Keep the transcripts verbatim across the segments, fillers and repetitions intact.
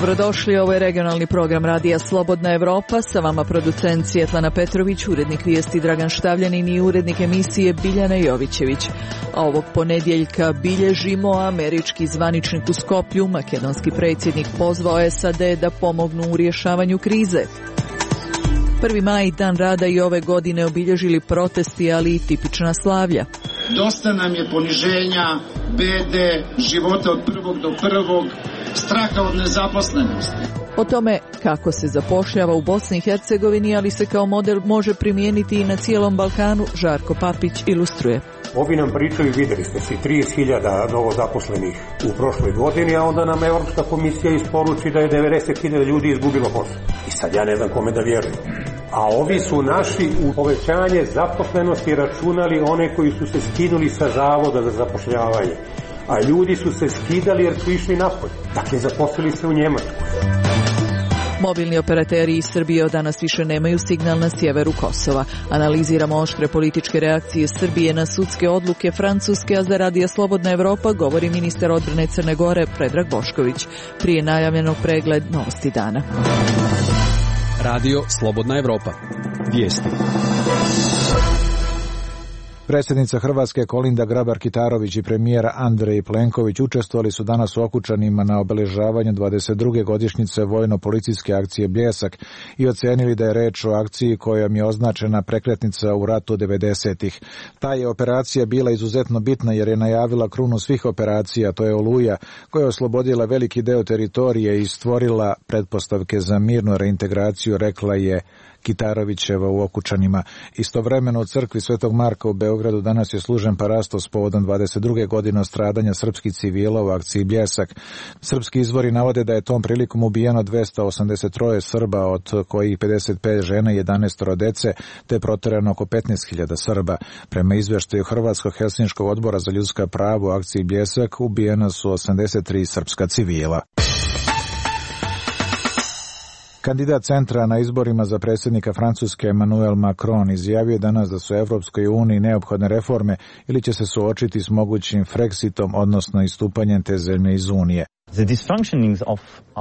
Dobrodošli, ovo je regionalni program Radija Slobodna Evropa, sa vama producent Svjetlana Petrović, urednik vijesti Dragan Štavljanin i urednik emisije Biljana Jovićević. A ovog ponedjeljka bilježimo američki zvaničnik u Skoplju, makedonski predsjednik pozvao S A D da pomognu u rješavanju krize. Prvi maj, dan rada, i ove godine obilježili protesti, ali i tipična slavlja. Dosta nam je poniženja, bede, života od prvog do prvog, straha od nezaposlenosti. O tome kako se zapošljava u Bosni i Hercegovini, ali se kao model može primijeniti i na cijelom Balkanu, Žarko Papić ilustruje. Ovi nam pričaju, vidjeli ste si, trideset hiljada novo zaposlenih u prošloj godini, a onda nam Europska komisija isporuči da je devedeset hiljada ljudi izgubilo posao. I sad ja ne znam kome da vjerujem. A ovi su naši u povećanje zaposlenosti računali one koji su se skinuli sa zavoda za zapošljavanje. A ljudi su se skidali jer su išli napolje. Dakle, zaposlili se u Njemačku. Mobilni operateri iz Srbije od danas više nemaju signal na sjeveru Kosova. Analiziramo oštre političke reakcije Srbije na sudske odluke Francuske, a za Radija Slobodna Evropa govori ministar odbrane Crne Gore Predrag Bošković. Prije najavljenog pregled novosti dana. Radio Slobodna Evropa. Vijesti. Predsjednica Hrvatske Kolinda Grabar-Kitarović i premijer Andrej Plenković učestvovali su danas u Okučanima na obeležavanju dvadeset druge godišnjice vojno-policijske akcije Bljesak i ocijenili da je reč o akciji kojom je označena prekretnica u ratu devedesetih. Ta je operacija bila izuzetno bitna jer je najavila krunu svih operacija, to je Oluja, koja je oslobodila veliki deo teritorije i stvorila pretpostavke za mirnu reintegraciju, rekla je Kitarovićeva u Okučanima. Istovremeno u crkvi Svetog Marka u Beogradu danas je služen parastos povodom dvadeset druge godine stradanja srpskih civila u akciji Bljesak. Srpski izvori navode da je tom prilikom ubijeno dvesta osamdeset tri Srba, od kojih pedeset pet žena i jedanaest dece, te proterano oko petnaest hiljada Srba. Prema izveštaju Hrvatskog Helsinškog odbora za ljudska prava u akciji Bljesak ubijena su osamdeset tri srpska civila. Kandidat centra na izborima za predsjednika Francuske Emmanuel Macron izjavio danas da su Evropskoj uniji neophodne reforme ili će se suočiti s mogućim Frexitom, odnosno istupanjem te zemlje iz Unije.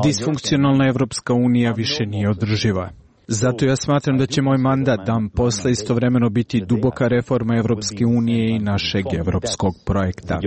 Disfunkcionalna Evropska unija više nije održiva. Zato ja smatram da će moj mandat dan posle istovremeno biti duboka reforma Evropske unije i našeg evropskog projekta.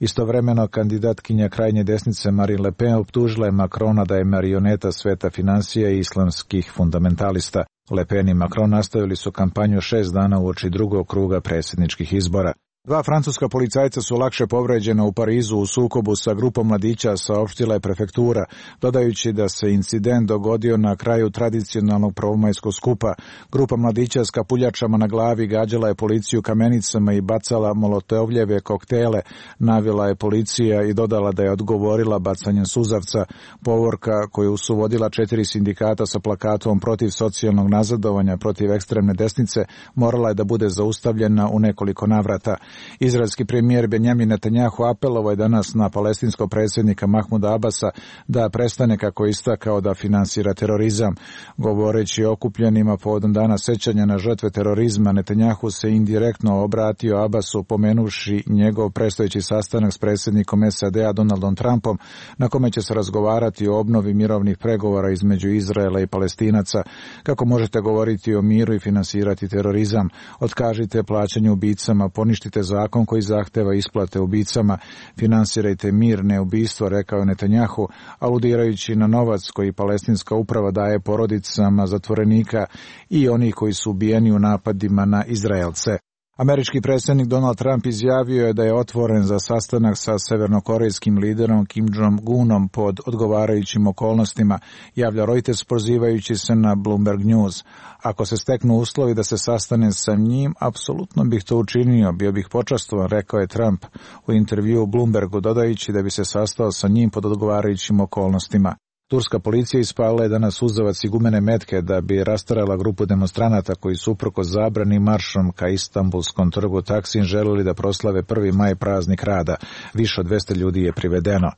Istovremeno, kandidatkinja krajnje desnice Marine Le Pen optužila je Macrona da je marioneta sveta financija i islamskih fundamentalista. Le Pen i Macron nastavili su kampanju šest dana uoči drugog kruga predsjedničkih izbora. Dva francuska policajca su lakše povređena u Parizu u sukobu sa grupom mladića, saopštila je prefektura, dodajući da se incident dogodio na kraju tradicionalnog prvomajskog skupa. Grupa mladića s kapuljačama na glavi gađala je policiju kamenicama i bacala molotovljeve koktele, navela je policija i dodala da je odgovorila bacanjem suzavca. Povorka koju su vodila četiri sindikata sa plakatom protiv socijalnog nazadovanja, protiv ekstremne desnice, morala je da bude zaustavljena u nekoliko navrata. Izraelski premijer Benjamin Netanjahu apelovao je danas na palestinskog predsjednika Mahmuda Abasa da prestane, kako je istakao, da finansira terorizam. Govoreći o okupljenima povodom dana sećanja na žrtve terorizma, Netanjahu se indirektno obratio Abasu pomenuši njegov predstojeći sastanak s predsjednikom S A D-a Donaldom Trumpom, na kome će se razgovarati o obnovi mirovnih pregovora između Izraela i Palestinaca. Kako možete govoriti o miru i finansirati terorizam? Otkažite plaćanje ubicama, poništite zakon koji zahteva isplate ubicama, finansirajte mir, ne ubistvo, rekao je Netanjahu, aludirajući na novac koji palestinska uprava daje porodicama zatvorenika i onih koji su ubijeni u napadima na Izraelce. Američki predsjednik Donald Trump izjavio je da je otvoren za sastanak sa severnokorejskim liderom Kim Jong-unom pod odgovarajućim okolnostima, javlja Reuters pozivajući se na Bloomberg News. Ako se steknu uslovi da se sastane sa njim, apsolutno bih to učinio, bio bih počastovan, rekao je Trump u intervjuu Bloombergu, dodajući da bi se sastao sa njim pod odgovarajućim okolnostima. Turska policija ispalila je danas suzavac i gumene metke da bi rastarala grupu demonstranata koji su uprkos zabrani maršom ka Istanbulskom trgu Taksim želeli da proslave prvi maj, praznik rada. Više od dvesta ljudi je privedeno.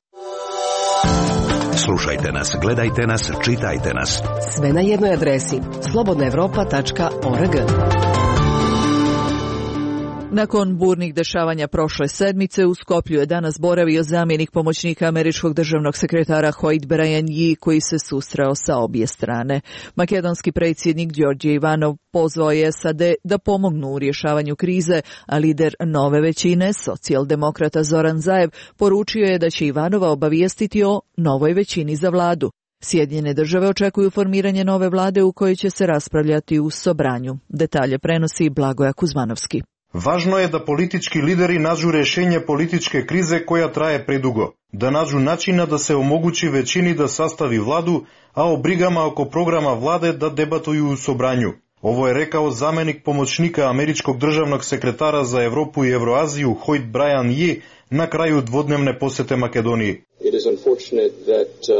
Slušajte nas, gledajte nas, čitajte nas. Sve na jednoj adresi slobodna evropa tačka org. Nakon burnih dešavanja prošle sedmice u Skoplju je danas boravio zamjenik pomoćnika američkog državnog sekretara Hoyt Bryan Yee, koji se susreo sa obje strane. Makedonski predsjednik Đorđe Ivanov pozvao je S A D da pomognu u rješavanju krize, a lider nove većine, socijaldemokrata Zoran Zaev, poručio je da će Ivanova obavijestiti o novoj većini za vladu. Sjedinjene države očekuju formiranje nove vlade u kojoj će se raspravljati u Sobranju. Detalje prenosi Blagoja Kuzmanovski. Važno je da politički lideri nađu rješenje političke krize koja traje predugo, da nađu načina da se omogući većini da sastavi vladu, a o brigama oko programa vlade da debatuju u Sobranju. Ovo je rekao zamjenik pomoćnika američkog državnog sekretara za Evropu i Evroaziju Hoyt Bryan Yee na kraju dvodnevne posjete Makedoniji. It is unfortunate that uh,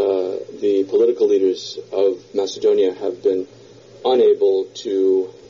the political leaders of Macedonia have been unable to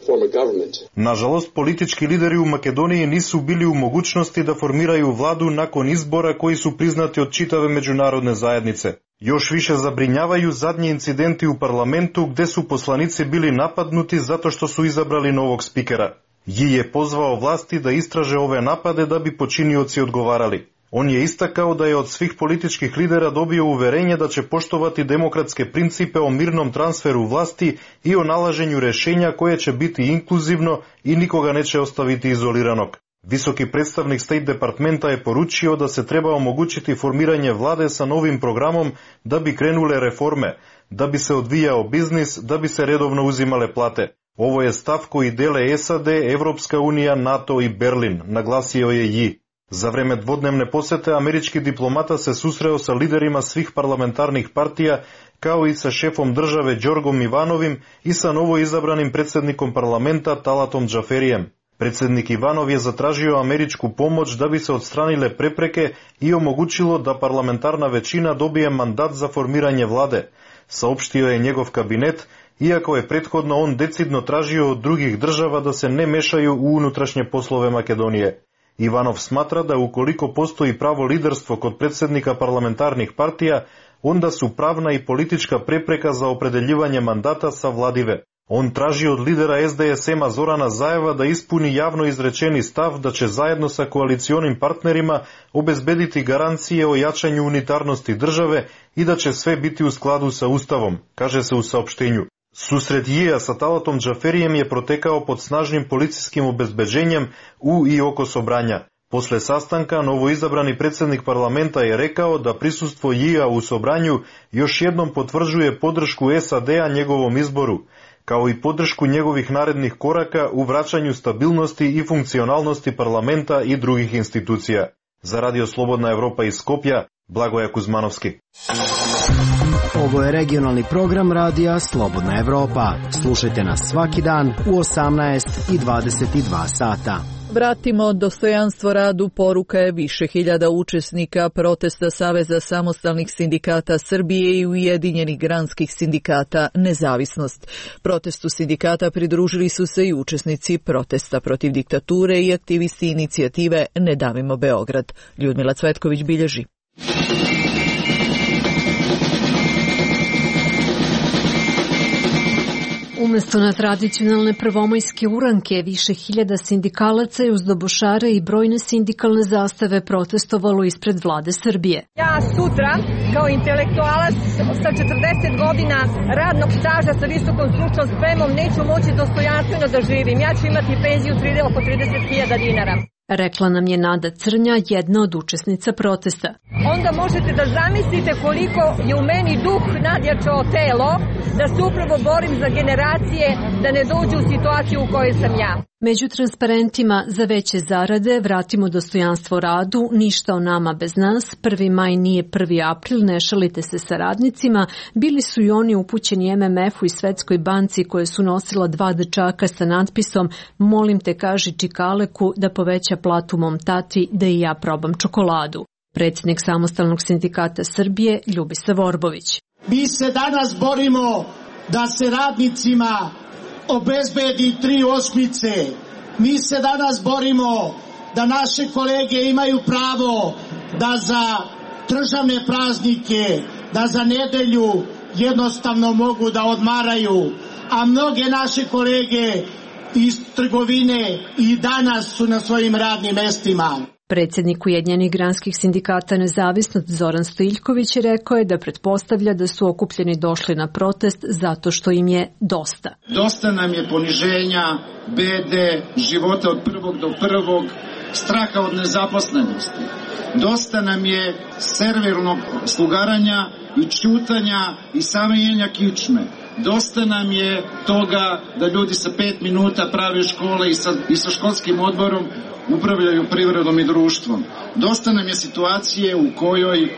form a government. Nažalost, politički lideri u Makedoniji nisu bili u mogućnosti da formiraju vladu nakon izbora koji su priznati od čitave međunarodne zajednice. Još više zabrinjavaju zadnji incidenti u parlamentu gdje su poslanici bili napadnuti zato što su izabrali novog spikera. Yi je pozvao vlasti da istraže ove napade da bi počinioci odgovarali. On je istakao da je od svih političkih lidera dobio uverenje da će poštovati demokratske principe o mirnom transferu vlasti i o nalaženju rješenja koje će biti inkluzivno i nikoga neće ostaviti izoliranog. Visoki predstavnik State Departmenta je poručio da se treba omogućiti formiranje vlade sa novim programom da bi krenule reforme, da bi se odvijao biznis, da bi se redovno uzimale plate. Ovo je stav koji dele S A D, Evropska unija, NATO i Berlin, naglasio je Yi. Za vreme dvodnevne posete američki diplomata se susreo sa liderima svih parlamentarnih partija, kao i sa šefom države Đorgom Ivanovim i sa novo izabranim predsjednikom parlamenta Talatom Džaferijem. Predsjednik Ivanov je zatražio američku pomoć da bi se odstranile prepreke i omogućilo da parlamentarna većina dobije mandat za formiranje vlade, saopštio je njegov kabinet, iako je prethodno on decidno tražio od drugih država da se ne mešaju u unutrašnje poslove Makedonije. Ivanov smatra da ukoliko postoji pravo liderstvo kod predsjednika parlamentarnih partija, onda su pravna i politička prepreka za opredeljivanje mandata savladive. On traži od lidera S D S M-a Zorana Zaeva da ispuni javno izrečeni stav da će zajedno sa koalicionim partnerima obezbediti garancije o jačanju unitarnosti države i da će sve biti u skladu sa Ustavom, kaže se u saopštenju. Susret Yija sa Talatom Džaferijem je protekao pod snažnim policijskim obezbeđenjem u i oko Sobranja. Posle sastanka, novoizabrani predsjednik parlamenta je rekao da prisustvo Yija u Sobranju još jednom potvrđuje podršku S A D-a njegovom izboru, kao i podršku njegovih narednih koraka u vraćanju stabilnosti i funkcionalnosti parlamenta i drugih institucija. Za Radio Slobodna Evropa iz Skopja, Blagoja Kuzmanovski. Ovo je regionalni program Radija Slobodna Evropa. Slušajte nas svaki dan u osamnaest i dvadeset dva sata. Vratimo dostojanstvo radu, poruka je više hiljada učesnika protesta Saveza samostalnih sindikata Srbije i Ujedinjenih granskih sindikata Nezavisnost. Protestu sindikata pridružili su se i učesnici protesta protiv diktature i aktivisti inicijative Ne davimo Beograd. Ljudmila Cvetković bilježi. Umesto na tradicionalne prvomajske uranke, više hiljada sindikalaca je uz dobošare i brojne sindikalne zastave protestovalo ispred vlade Srbije. Ja sutra, kao intelektualac sa četrdeset godina radnog staža sa visokom stručnom spremom, neću moći dostojanstveno da živim. Ja ću imati penziju oko trideset hiljada dinara. Rekla nam je Nada Crnja, jedna od učesnica protesta. Onda možete da zamislite koliko je u meni duh nadjačao telo da se upravo borim za generacije da ne dođu u situaciju u kojoj sam ja. Među transparentima za veće zarade, vratimo dostojanstvo radu, ništa o nama bez nas, prvi maj nije prvi april, ne šalite se sa radnicima, bili su i oni upućeni M M F-u i Svetskoj banci koje su nosila dva dečaka sa natpisom molim te kaži Čikaleku da poveća platu mom tati da i ja probam čokoladu. Predsjednik Samostalnog sindikata Srbije Ljubisa Vorbović. Mi se danas borimo da se radnicima obezbedi tri osmice. Mi se danas borimo da naše kolege imaju pravo da za državne praznike, da za nedelju jednostavno mogu da odmaraju, a mnoge naše kolege iz trgovine i danas su na svojim radnim mestima. Predsjednik Ujedinjenih granskih sindikata Nezavisnost Zoran Stojiljković rekao je da pretpostavlja da su okupljeni došli na protest zato što im je dosta. Dosta nam je poniženja, bede, života od prvog do prvog, straha od nezaposlenosti. Dosta nam je servilnog slugaranja i čutanja i samenjenja kičme. Dosta nam je toga da ljudi sa pet minuta prave škole i sa, i sa školskim odborom upravljaju privredom i društvom. Dosta nam je situacije u kojoj, e,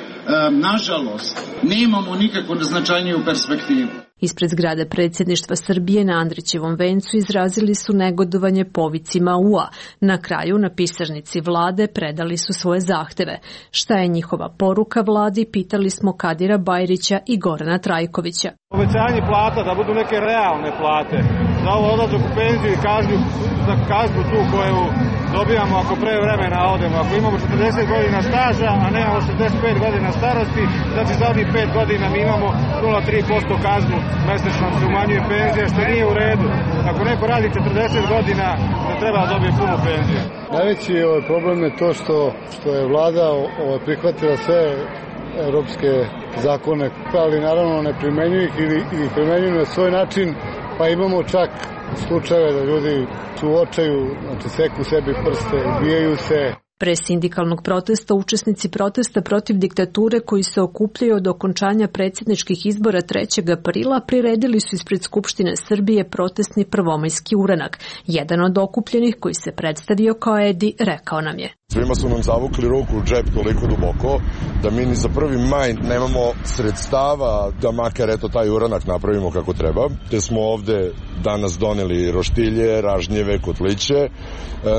nažalost, nemamo nikakvu značajniju perspektivu. Ispred zgrade predsjedništva Srbije na Andrićevom vencu izrazili su negodovanje povicima U A. Na kraju na pisarnici vlade predali su svoje zahteve. Šta je njihova poruka vladi, pitali smo Kadira Bajrića i Gorana Trajkovića. Povećanje plata, da budu neke realne plate, za ovo odlazak u penziju i kažnju, za kažnju tu koju dobijamo ako pre vremena odemo. Ako imamo četrdeset godina staža, a nemamo šezdeset pet godina starosti, znači za onih pet godina mi imamo nula zarez tri posto kaznu, mesečno se umanjuje penzija, što nije u redu. Ako neko radi četrdeset godina, ne treba da dobije punu penziju. Najveći ovaj problem je to što, što je vlada ovaj, prihvatila sve evropske zakone, ali naravno ne primenjuju ih ili, ili primenjuju na svoj način, pa imamo čak slučajeve da ljudi su u očaju, znači seku sebi prste, ubijaju se. Pre sindikalnog protesta učesnici protesta protiv diktature koji se okupljaju od okončanja predsjedničkih izbora trećeg aprila priredili su ispred Skupštine Srbije protestni prvomajski uranak. Jedan od okupljenih koji se predstavio kao Edi rekao nam je: Svima su nam zavukli ruku u džep toliko duboko da mi ni za prvi maj nemamo sredstava da makar eto taj uranak napravimo kako treba. Te smo ovde danas doneli roštilje, ražnjeve, kotliće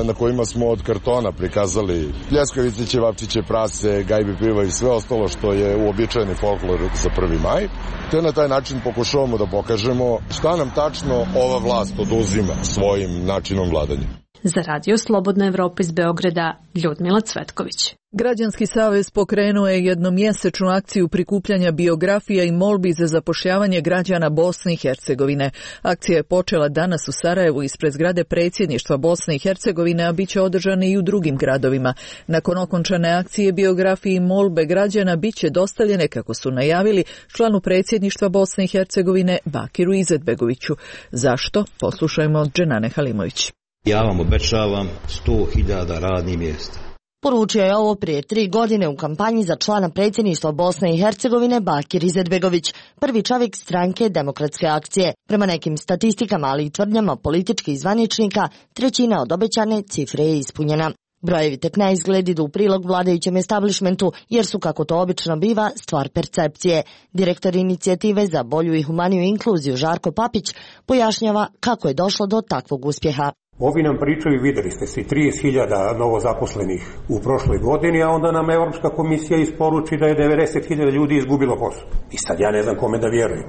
na kojima smo od kartona prikazali pljeskavice, ćevapčiće, prase, gajbe piva i sve ostalo što je uobičajeni folklor za prvi maj. Te na taj način pokušavamo da pokažemo šta nam tačno ova vlast oduzima svojim načinom vladanja. Za Radio Slobodna Evropa iz Beograda, Ljudmila Cvetković. Građanski savez pokrenuo je jednomjesečnu akciju prikupljanja biografija i molbi za zapošljavanje građana Bosne i Hercegovine. Akcija je počela danas u Sarajevu ispred zgrade predsjedništva Bosne i Hercegovine, a bit će održane i u drugim gradovima. Nakon okončane akcije biografije i molbe građana bit će dostavljene, kako su najavili, članu predsjedništva Bosne i Hercegovine Bakiru Izetbegoviću. Zašto? Poslušajmo od Dženane Halimović. Ja vam obećavam sto hiljada radnih mjesta. Poručio je ovo prije tri godine u kampanji za člana predsjedništva Bosne i Hercegovine Bakir Izetbegović, prvi čovjek stranke Demokratske akcije. Prema nekim statistikama, ali i tvrdnjama političkih zvaničnika, trećina od obećane cifre je ispunjena. Brojevi tek ne izgled idu u prilog vladajućem establishmentu, jer su, kako to obično biva, stvar percepcije. Direktor inicijative za bolju i humaniju inkluziju Žarko Papić pojašnjava kako je došlo do takvog uspjeha. Ovi nam pričaju, videli ste se, trideset hiljada novozaposlenih u prošloj godini, a onda nam Evropska komisija isporuči da je devedeset hiljada ljudi izgubilo posao. I sad ja ne znam kome da vjerujem.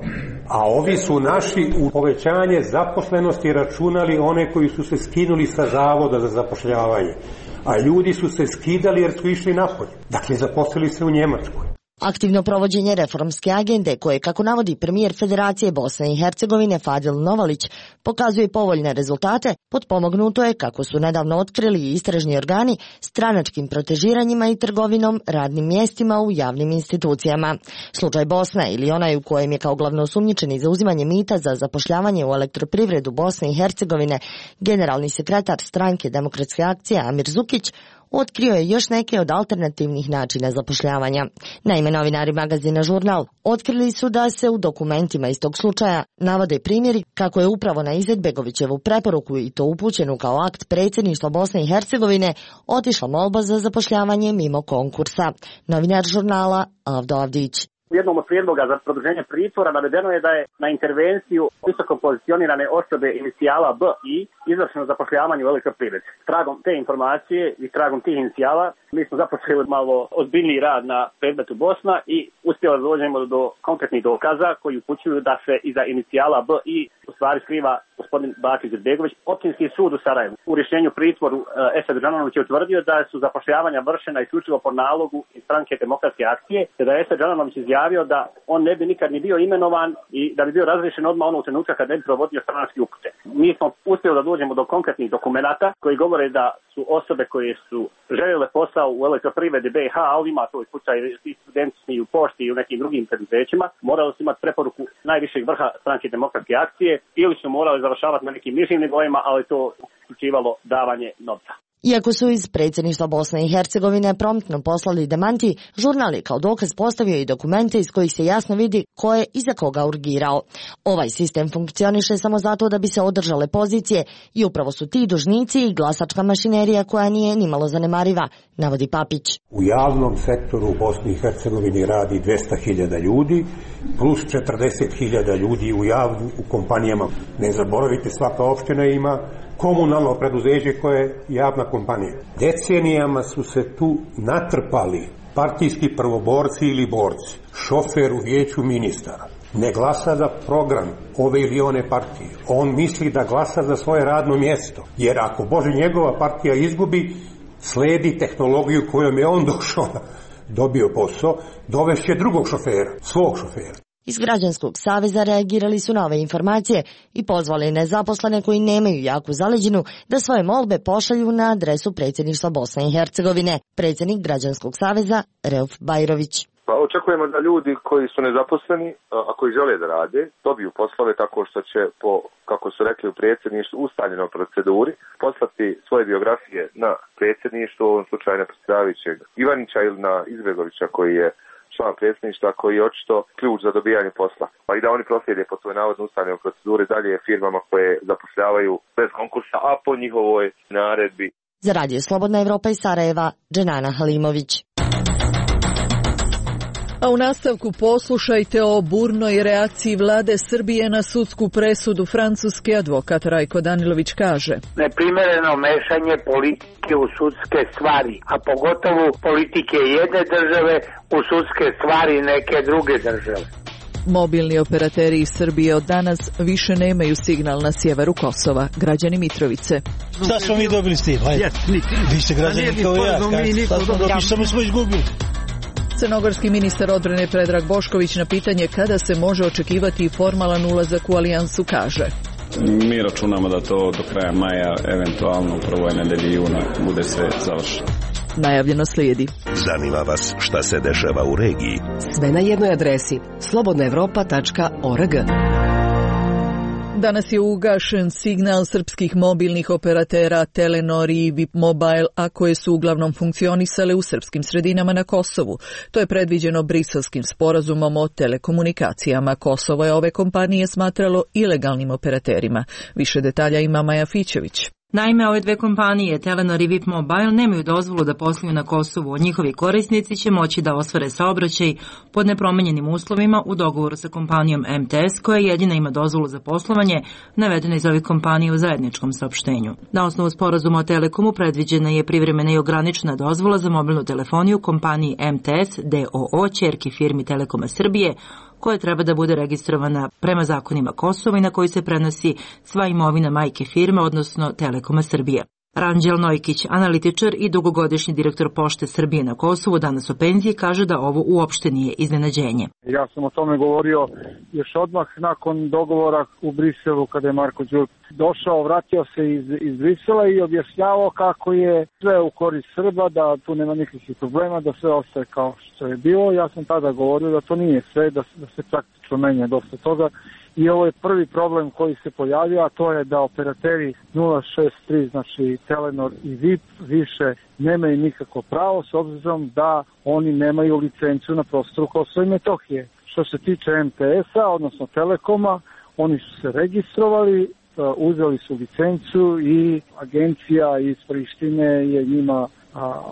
A ovi su naši u povećanje zaposlenosti računali one koji su se skinuli sa zavoda za zapošljavanje. A ljudi su se skidali jer su išli napolje. Dakle, zaposlili se u Njemačkoj. Aktivno provođenje reformske agende koje, kako navodi premijer Federacije Bosne i Hercegovine Fadil Novalić, pokazuje povoljne rezultate, potpomognuto je, kako su nedavno otkrili istražni organi, stranačkim protežiranjima i trgovinom radnim mjestima u javnim institucijama. Slučaj Bosne, ili onaj u kojem je kao glavno osumnjičeni za uzimanje mita za zapošljavanje u elektroprivredu Bosne i Hercegovine generalni sekretar stranke Demokratske akcije Amir Zukić, otkrio je još neke od alternativnih načina zapošljavanja. Naime, novinari magazina Žurnal otkrili su da se u dokumentima iz tog slučaja navode primjeri kako je upravo na Izetbegovićevu preporuku, i to upućenu kao akt predsjedništva Bosne i Hercegovine, otišla molba za zapošljavanje mimo konkursa. Novinar Žurnala Avdo Avdić. U jednom od prijedloga za produženje pritvora navedeno je da je na intervenciju visoko pozicionirane osobe inicijala B I izvršeno zapošljavanje u elektroprivredi. Tragom te informacije i tragom tih inicijala mi smo započeli malo ozbiljniji rad na predmetu Bosna i uspjeli da dođemo do konkretnih dokaza koji upućuju da se iza inicijala B I u stvari skriva gospodin Bakir Izetbegović. Općinski sud u Sarajevu u rješenju pritvoru Esad Džananović je utvrdio da su zapošljavanja vršena isključivo po nalogu iz stranke Demokratske akcije, te da je Esad Džananović izjavio da on ne bi nikad ni bio imenovan i da bi bio razriješen odmah onog trenutka kad ne bi provodio stranačke upute. Mi smo uspjeli da dođemo do konkretnih dokumenata koji govore da su osobe koje su željele posao u Elektroprivredi B i H, a ovdje ima svoj slučaj i studenti i u pošti i u nekim drugim preduzećima, morali su imati preporuku najvišeg vrha stranke Demokratske akcije ili su morali završavati na nekim nižim nivoima, ali to uključivalo davanje novca. Iako su iz predsjedništva Bosne i Hercegovine promptno poslali demanti, žurnal je kao dokaz postavio i dokumente iz kojih se jasno vidi ko je i za koga urgirao. Ovaj sistem funkcioniše samo zato da bi se održale pozicije i upravo su ti dužnici i glasačka mašinerija koja nije nimalo zanemariva, navodi Papić. U javnom sektoru u Bosni i Hercegovini radi dvesta hiljada ljudi, plus četrdeset hiljada ljudi u javnim u kompanijama. Ne zaboravite, svaka opština ima komunalno preduzeće koje je javna kompanija. Decenijama su se tu natrpali partijski prvoborci ili borci, šofer u vijeću ministara. Ne glasa za program ove ili one partije. On misli da glasa za svoje radno mjesto. Jer ako Bože njegova partija izgubi, sledi tehnologiju kojom je on došao, dobio posao, dovešće drugog šofera, svog šofera. Iz Građanskog saveza reagirali su na ove informacije i pozvali nezaposlene koji nemaju jaku zaleđinu da svoje molbe pošalju na adresu predsjedništva Bosne i Hercegovine. Predsjednik Građanskog saveza Reuf Bajrović. Pa očekujemo da ljudi koji su nezaposleni, a koji žele da rade, dobiju poslove tako što će, po, kako su rekli u predsjedništvu, ustaljenoj proceduri, poslati svoje biografije na predsjedništvo, u ovom slučaju na predsjedavajućeg Ivanića ili na Izbegovića koji je član predsjedništva, koji je očito ključ za dobijanje posla. Pa i da oni proslijede po svoj navodno ustaljenoj proceduri dalje firmama koje zapošljavaju bez konkursa, a po njihovoj naredbi. Za Radio Slobodna Evropa iz Sarajeva, Dženana Halimović. A u nastavku poslušajte o burnoj reakciji vlade Srbije na sudsku presudu Francuske. Advokat Rajko Danilović kaže: Neprimereno mešanje politike u sudske stvari, a pogotovo politike jedne države u sudske stvari neke druge države. Mobilni operateri iz Srbije od danas više nemaju signal na sjeveru Kosova. Građani Mitrovice. Šta smo mi dobili s tim? Vi ste građani kao ja. Šta smo izgubili? Crnogorski ministar odbrane Predrag Bošković na pitanje kada se može očekivati formalan ulazak u alijansu kaže: Mi računamo da to do kraja maja, eventualno u prvoj nedelji juna, bude sve završeno. Najavljeno slijedi. Zanima vas šta se dešava u regiji? Sve na jednoj adresi slobodna evropa tačka org. Danas je ugašen signal srpskih mobilnih operatera Telenor i V I P Mobile, a koje su uglavnom funkcionisale u srpskim sredinama na Kosovu. To je predviđeno Briselskim sporazumom o telekomunikacijama. Kosovo je ove kompanije smatralo ilegalnim operaterima. Više detalja ima Maja Fićević. Naime, ove dve kompanije, Telenor i V I P Mobile, nemaju dozvolu da posluju na Kosovu. Njihovi korisnici će moći da ostvare saobraćaj pod nepromenjenim uslovima u dogovoru sa kompanijom M T S, koja jedina ima dozvolu za poslovanje, navedena iz ovih kompanija u zajedničkom saopštenju. Na osnovu sporazuma o Telekomu predviđena je privremena i ograničena dozvola za mobilnu telefoniju kompaniji M T S D O O, ćerki firmi Telekoma Srbije, koja treba da bude registrovana prema zakonima Kosova i na koji se prenosi sva imovina majke firme, odnosno Telekoma Srbije. Ranđel Nojkić, analitičar i dugogodišnji direktor Pošte Srbije na Kosovu, danas u penziji, kaže da ovo uopšte nije iznenađenje. Ja sam o tome govorio još odmah nakon dogovora u Briselu kada je Marko Đurić došao, vratio se iz, iz Brisela i objašnjavao kako je sve u korist Srba, da tu nema nikakvih problema, da sve ostaje kao što je bilo. Ja sam tada govorio da to nije sve, da, da se praktično menja dosta toga. I ovo je prvi problem koji se pojavio, a to je da operateri nula šest tri, znači Telenor i V I P, više nemaju nikako pravo s obzirom da oni nemaju licencu na prostoru Kosova i Metohije. Što se tiče M T S-a, odnosno Telekoma, oni su se registrovali, uzeli su licencu i agencija iz Prištine je njima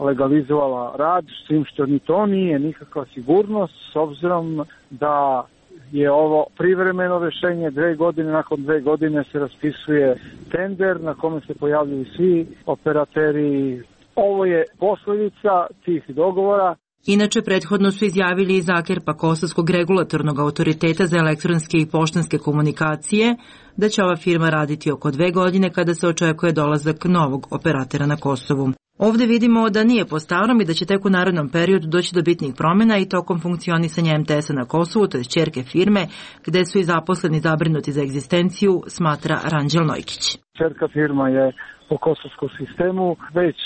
legalizovala rad, s tim što ni to nije nikakva sigurnost, s obzirom da je ovo privremeno rješenje, dve godine, nakon dve godine se raspisuje tender na kome se pojavljuju svi operateri. Ovo je posljedica tih dogovora. Inače, prethodno su izjavili iz Akerpa Kosovskog regulatornog autoriteta za elektronske i poštanske komunikacije da će ova firma raditi oko dve godine kada se očekuje dolazak novog operatera na Kosovu. Ovde vidimo da nije po starom i da će tek u narednom periodu doći do bitnih promjena i tokom funkcionisanja em te es-a na Kosovu, to je ćerke firme, gde su i zaposleni zabrinuti za egzistenciju, smatra Ranđel Nojkić. Ćerka firma je po kosovskom sistemu, već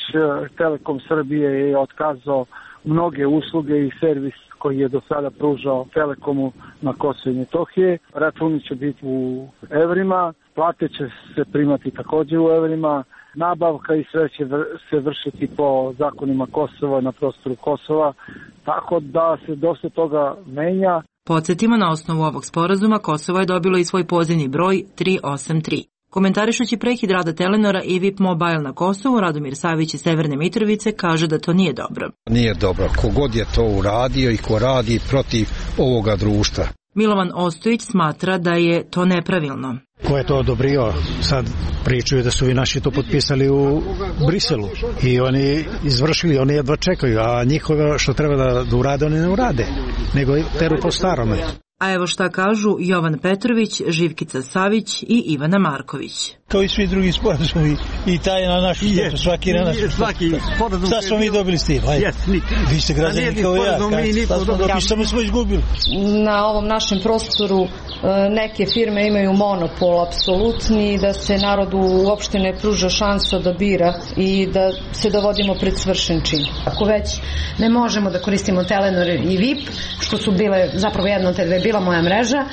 Telekom Srbije je otkazao mnoge usluge i servis koji je do sada pružao Telekomu na Kosovo i Metohije. Računi će biti u evrima, plate će se primati također u evrima, nabavka i sve će se vršiti po zakonima Kosova na prostoru Kosova, tako da se dosta toga menja. Podsjetimo, na osnovu ovog sporazuma Kosovo je dobilo i svoj pozivni broj tri osam tri. Komentarišući prekid rada Telenora i V I P Mobile na Kosovu, Radomir Savić iz Severne Mitrovice kaže da to nije dobro. Nije dobro. Kogod je to uradio i ko radi protiv ovoga društva. Milovan Ostojić smatra da je to nepravilno. Ko je to odobrio? Sad pričaju da su i naši to potpisali u Briselu i oni izvršili, oni jedva čekaju, a njihovo što treba da, da urade, oni ne urade, nego teru po starome. A evo šta kažu Jovan Petrović, Živkica Savić i Ivana Marković. Kao i svi drugi sporazumi, i taj na našu štetu, svaki na našu štetu. Šta smo mi dobili s tim? Vi ste građani kao ja, šta smo dobili, šta smo izgubili? Na ovom našem prostoru neke firme imaju monopol apsolutni, da se narodu uopšte ne pruža šansa da bira i da se dovodimo pred svršen čin. Ako već ne možemo da koristimo Telenor i V I P, što su bile zapravo jedno od te dve bila moja mreža,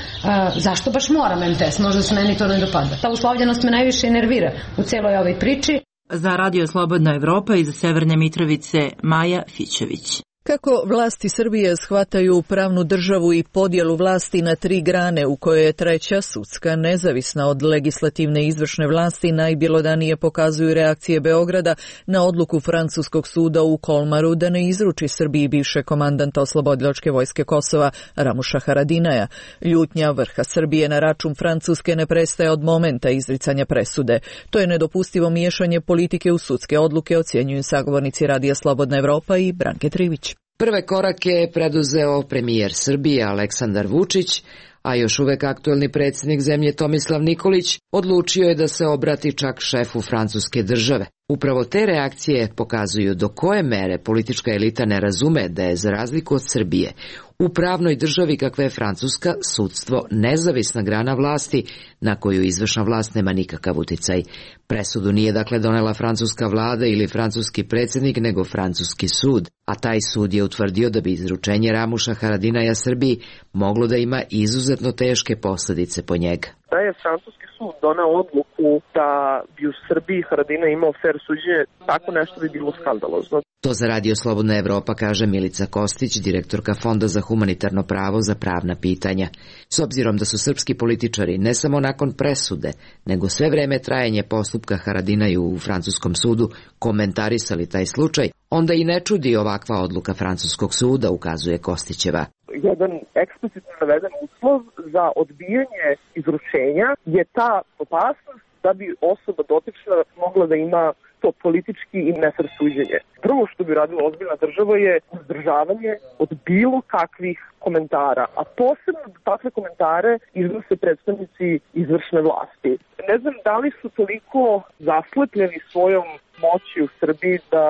zašto baš moram em te es? Možda se meni to ne dopada. Ta uslovljenost me najviše nervira u celoj ovoj priči. Za Radio Slobodna Evropa iz Severne Mitrovice, Maja Fićević. Kako vlasti Srbije shvataju pravnu državu i podjelu vlasti na tri grane u kojoj je treća, sudska, nezavisna od legislativne i izvršne vlasti, najbjelodanije pokazuju reakcije Beograda na odluku francuskog suda u Kolmaru da ne izruči Srbiji bivše komandanta oslobodilačke vojske Kosova Ramuša Haradinaja. Ljutnja vrha Srbije na račun Francuske ne prestaje od momenta izricanja presude. To je nedopustivo miješanje politike u sudske odluke, ocjenjuju sagovornici Radija Slobodna Evropa i Branke Trivić. Prve korake je preduzeo premijer Srbije Aleksandar Vučić, a još uvek aktuelni predsjednik zemlje Tomislav Nikolić odlučio je da se obrati čak šefu francuske države. Upravo te reakcije pokazuju do koje mere politička elita ne razume da je, za razliku od Srbije, u pravnoj državi kakva je Francuska, sudstvo nezavisna grana vlasti na koju izvršna vlast nema nikakav uticaj. Presudu nije dakle donela francuska vlada ili francuski predsjednik, nego francuski sud, a taj sud je utvrdio da bi izručenje Ramuša Haradinaja Srbiji moglo da ima izuzetno teške posljedice po njega. Da je francuski sud doneo odluku da bi u Srbiji Haradinaj imao fer suđenje, tako nešto bi bilo skandalozno. To za Radio Slobodna Evropa kaže Milica Kostić, direktorka Fonda za humanitarno pravo za pravna pitanja. S obzirom da su srpski političari ne samo nakon presude, nego sve vreme trajanje postupka Haradinaju u francuskom sudu komentarisali taj slučaj, onda i ne čudi ovakva odluka francuskog suda, ukazuje Kostićeva. Jedan eksplicitno naveden uslov za odbijanje izručenja je ta opasnost da bi osoba dotična mogla da ima to politički i nefer suđenje. Prvo što bi radila ozbiljna država je uzdržavanje od bilo kakvih komentara, a posebno da takve komentare iznose predstavnici izvršne vlasti. Ne znam da li su toliko zaslepljeni svojom moći u Srbiji da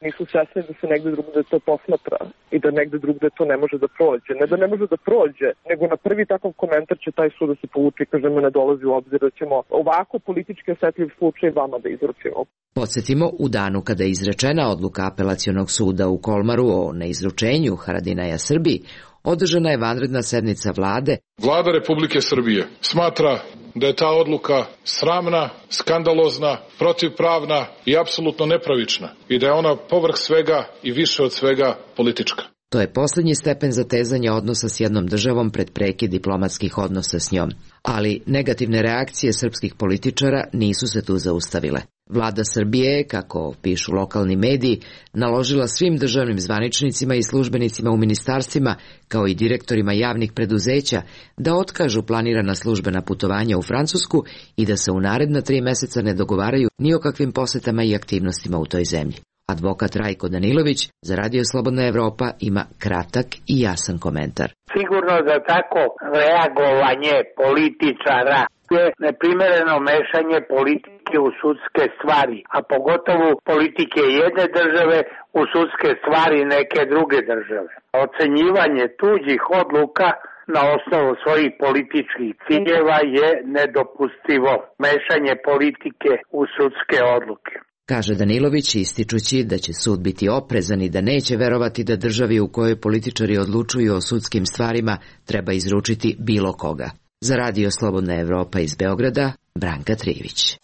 nisu svesni da se negde drugde to posmatra i da negde drugde to ne može da prođe. Ne da ne može da prođe, nego na prvi takav komentar će taj sud da se povuče i kažemo ne dolazi u obzir da ćemo ovako politički osetljiv slučaj vama da izručimo. Podsjetimo, u danu kada je izrečena odluka apelacionog suda u Kolmaru o neizručenju Haradinaja Srbiji, održana je vanredna sednica vlade. Vlada Republike Srbije smatra da je ta odluka sramna, skandalozna, protivpravna i apsolutno nepravična i da je ona povrh svega i više od svega politička. To je posljednji stepen zatezanja odnosa s jednom državom pred prekid diplomatskih odnosa s njom. Ali negativne reakcije srpskih političara nisu se tu zaustavile. Vlada Srbije, kako pišu lokalni mediji, naložila svim državnim zvaničnicima i službenicima u ministarstvima, kao i direktorima javnih preduzeća, da otkažu planirana službena putovanja u Francusku i da se u naredna tri meseca ne dogovaraju ni o kakvim posetama i aktivnostima u toj zemlji. Advokat Rajko Danilović za Radio Slobodna Evropa ima kratak i jasan komentar. Sigurno da tako reagovanje političara je neprimereno mešanje politike u sudske stvari, a pogotovo politike jedne države u sudske stvari neke druge države. Ocenjivanje tuđih odluka na osnovu svojih političkih ciljeva je nedopustivo. Mešanje politike u sudske odluke. Kaže Danilović, ističući da će sud biti oprezan i da neće verovati da državi u kojoj političari odlučuju o sudskim stvarima treba izručiti bilo koga. Za Radio Slobodna Evropa iz Beograda, Branka Trivić.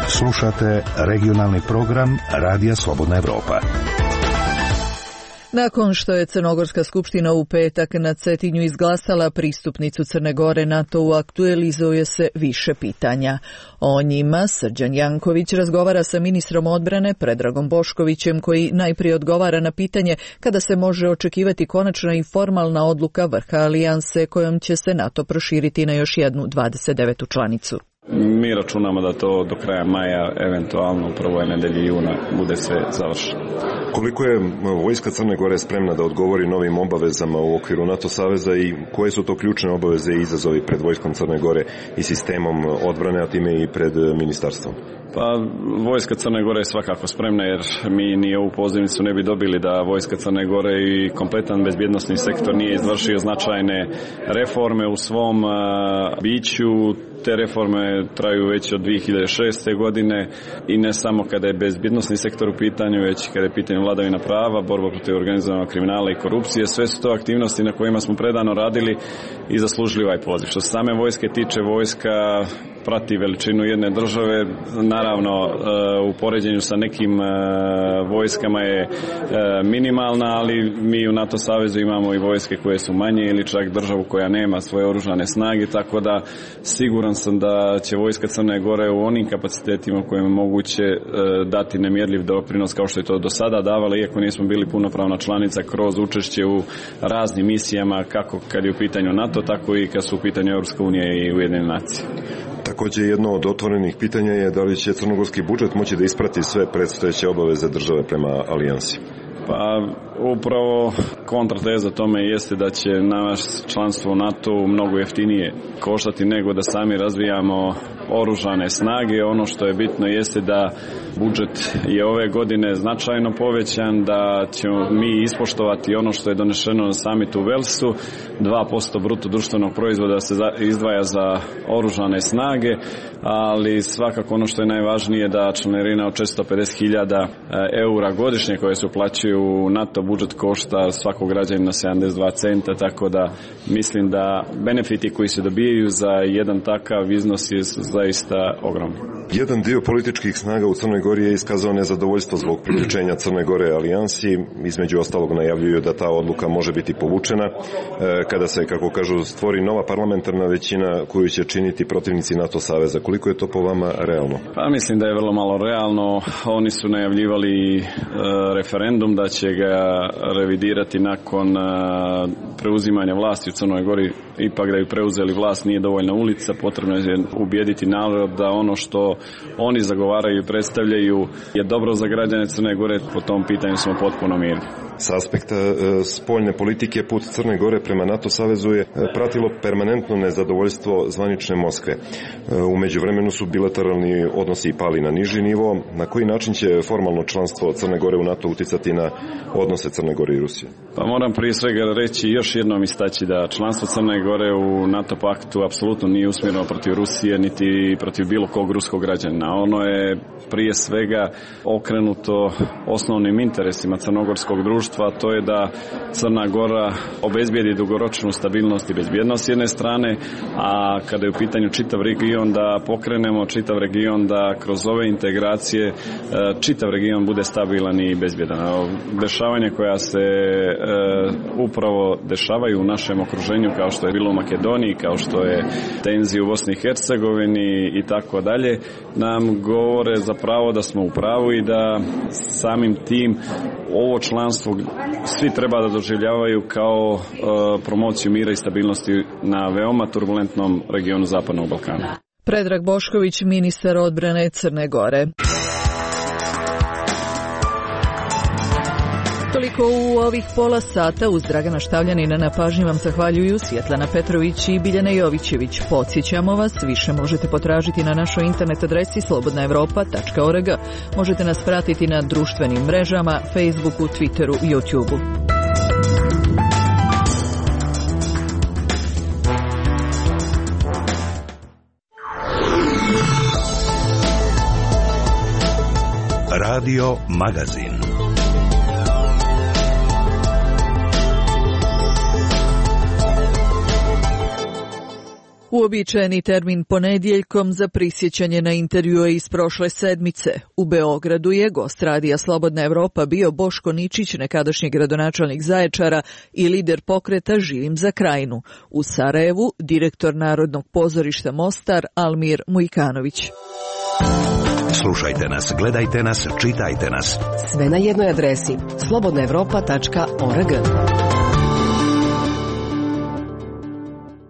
Slušate regionalni program Radija Slobodna Evropa. Nakon što je Crnogorska skupština u petak na Cetinju izglasala pristupnicu Crne Gore NATO-u, aktualizuje se više pitanja. O njima Srđan Janković razgovara sa ministrom odbrane Predragom Boškovićem, koji najprije odgovara na pitanje kada se može očekivati konačna i formalna odluka vrha alijanse kojom će se NATO proširiti na još jednu dvadeset devetu članicu. Mi računamo da to do kraja maja, eventualno u prvoj nedelji juna, bude sve završeno. Koliko je vojska Crne Gore spremna da odgovori novim obavezama u okviru NATO saveza i koje su to ključne obaveze i izazovi pred vojskom Crne Gore i sistemom odbrane, a time i pred ministarstvom? Pa, vojska Crne Gore je svakako spremna, jer mi ni ovu pozivnicu ne bi dobili da vojska Crne Gore i kompletan bezbjednosni sektor nije izvršio značajne reforme u svom uh, biću. Te reforme traju već od dvije hiljade šeste. godine i ne samo kada je bezbjednosni sektor u pitanju, već kada je pitanje vladavina prava, borba protiv organizovanog kriminala i korupcije. Sve su to aktivnosti na kojima smo predano radili i zaslužili ovaj poziv. Što se same vojske tiče, vojska prati veličinu jedne države, naravno u poređenju sa nekim vojskama je minimalna, ali mi u NATO savezu imamo i vojske koje su manje ili čak državu koja nema svoje oružane snage, tako da siguran sam da će vojska Crne Gore u onim kapacitetima kojima je moguće dati nemjerljiv doprinos kao što je to do sada davala, iako nismo bili punopravna članica, kroz učešće u raznim misijama, kako kad je u pitanju NATO, tako i kad su u pitanju Europska unija i Ujedinjene nacije. Također jedno od otvorenih pitanja je da li će crnogorski budžet moći da isprati sve predstojeće obaveze države prema alijansi. Pa upravo kontrateza tome jeste da će naš članstvo u NATO mnogo jeftinije koštati nego da sami razvijamo oružane snage. Ono što je bitno jeste da budžet je ove godine značajno povećan, da ćemo mi ispoštovati ono što je donešeno na samitu u Velsu, dva posto bruto društvenog proizvoda se izdvaja za oružane snage, ali svakako ono što je najvažnije da članarina od četiristo pedeset hiljada eura godišnje koje se uplaćuju u NATO budžet košta svakog građanina sedamdeset dva centa, tako da mislim da benefiti koji se dobijaju za jedan takav iznos je zaista ogromni. Jedan dio političkih snaga u Crnoj Gori je iskazao nezadovoljstvo zbog priključenja Crne Gore alijansi. Između ostalog najavljuju da ta odluka može biti povučena kada se, kako kažu, stvori nova parlamentarna većina koju će činiti protivnici NATO saveza. Koliko je to po vama realno? Pa mislim da je vrlo malo realno. Oni su najavljivali e, referendum da će ga revidirati nakon e, preuzimanja vlasti u Crnoj Gori. Ipak da bi preuzeli vlast nije dovoljna ulica, potrebno je ubijediti narod da ono što oni zagovaraju i predstavljaju je dobro za građane Crne Gore. Po tom pitanju smo potpuno mirni. S aspekta e, spoljne politike put Crne Gore prema NATO savezu je pratilo permanentno nezadovoljstvo zvanične Moskve. E, u međuvremenu su bilateralni odnosi pali na niži nivo. Na koji način će formalno članstvo Crne Gore u NATO uticati na odnose Crne Gore i Rusije? Pa moram prije svega reći još jednom istaći da članstvo Crne Gore u NATO paktu apsolutno nije usmjereno protiv Rusije niti protiv bilo kog ruskog građanina. Ono je prije svega okrenuto osnovnim interesima crnogorskog društva, a to je da Crna Gora obezbijedi dugoročnu stabilnost i bezbjednost s jedne strane, a kada je u pitanju čitav region da pokrenemo čitav region, da kroz ove integracije čitav region bude stabilan i bezbjedan. Dešavanja koja se e, upravo dešavaju u našem okruženju, kao što je bilo u Makedoniji, kao što je tenzija u Bosni i Hercegovini i tako dalje, nam govore zapravo da smo u pravu i da samim tim ovo članstvo svi treba da doživljavaju kao e, promociju mira i stabilnosti na veoma turbulentnom regionu Zapadnog Balkana. Predrag Bošković, ministar odbrane Crne Gore. Toliko u ovih pola sata. Uz Dragana Štavljanina na pažnji vam zahvaljuju Svjetlana Petrović i Biljana Jovićević. Podsjećamo vas, više možete potražiti na našoj internet adresi slobodna evropa tačka org. Možete nas pratiti na društvenim mrežama, Facebooku, Twitteru i YouTubeu. Radio Magazin. Uobičajeni termin ponedjeljkom za prisjećanje na intervjue iz prošle sedmice. U Beogradu je gost radija Slobodna Evropa bio Boško Ničić, nekadašnji gradonačelnik Zaječara i lider pokreta Živim za Krajinu. U Sarajevu direktor Narodnog pozorišta Mostar Almir Mujkanović. Slušajte nas, gledajte nas, čitajte nas. Sve na jednoj adresi slobodna evropa tačka org.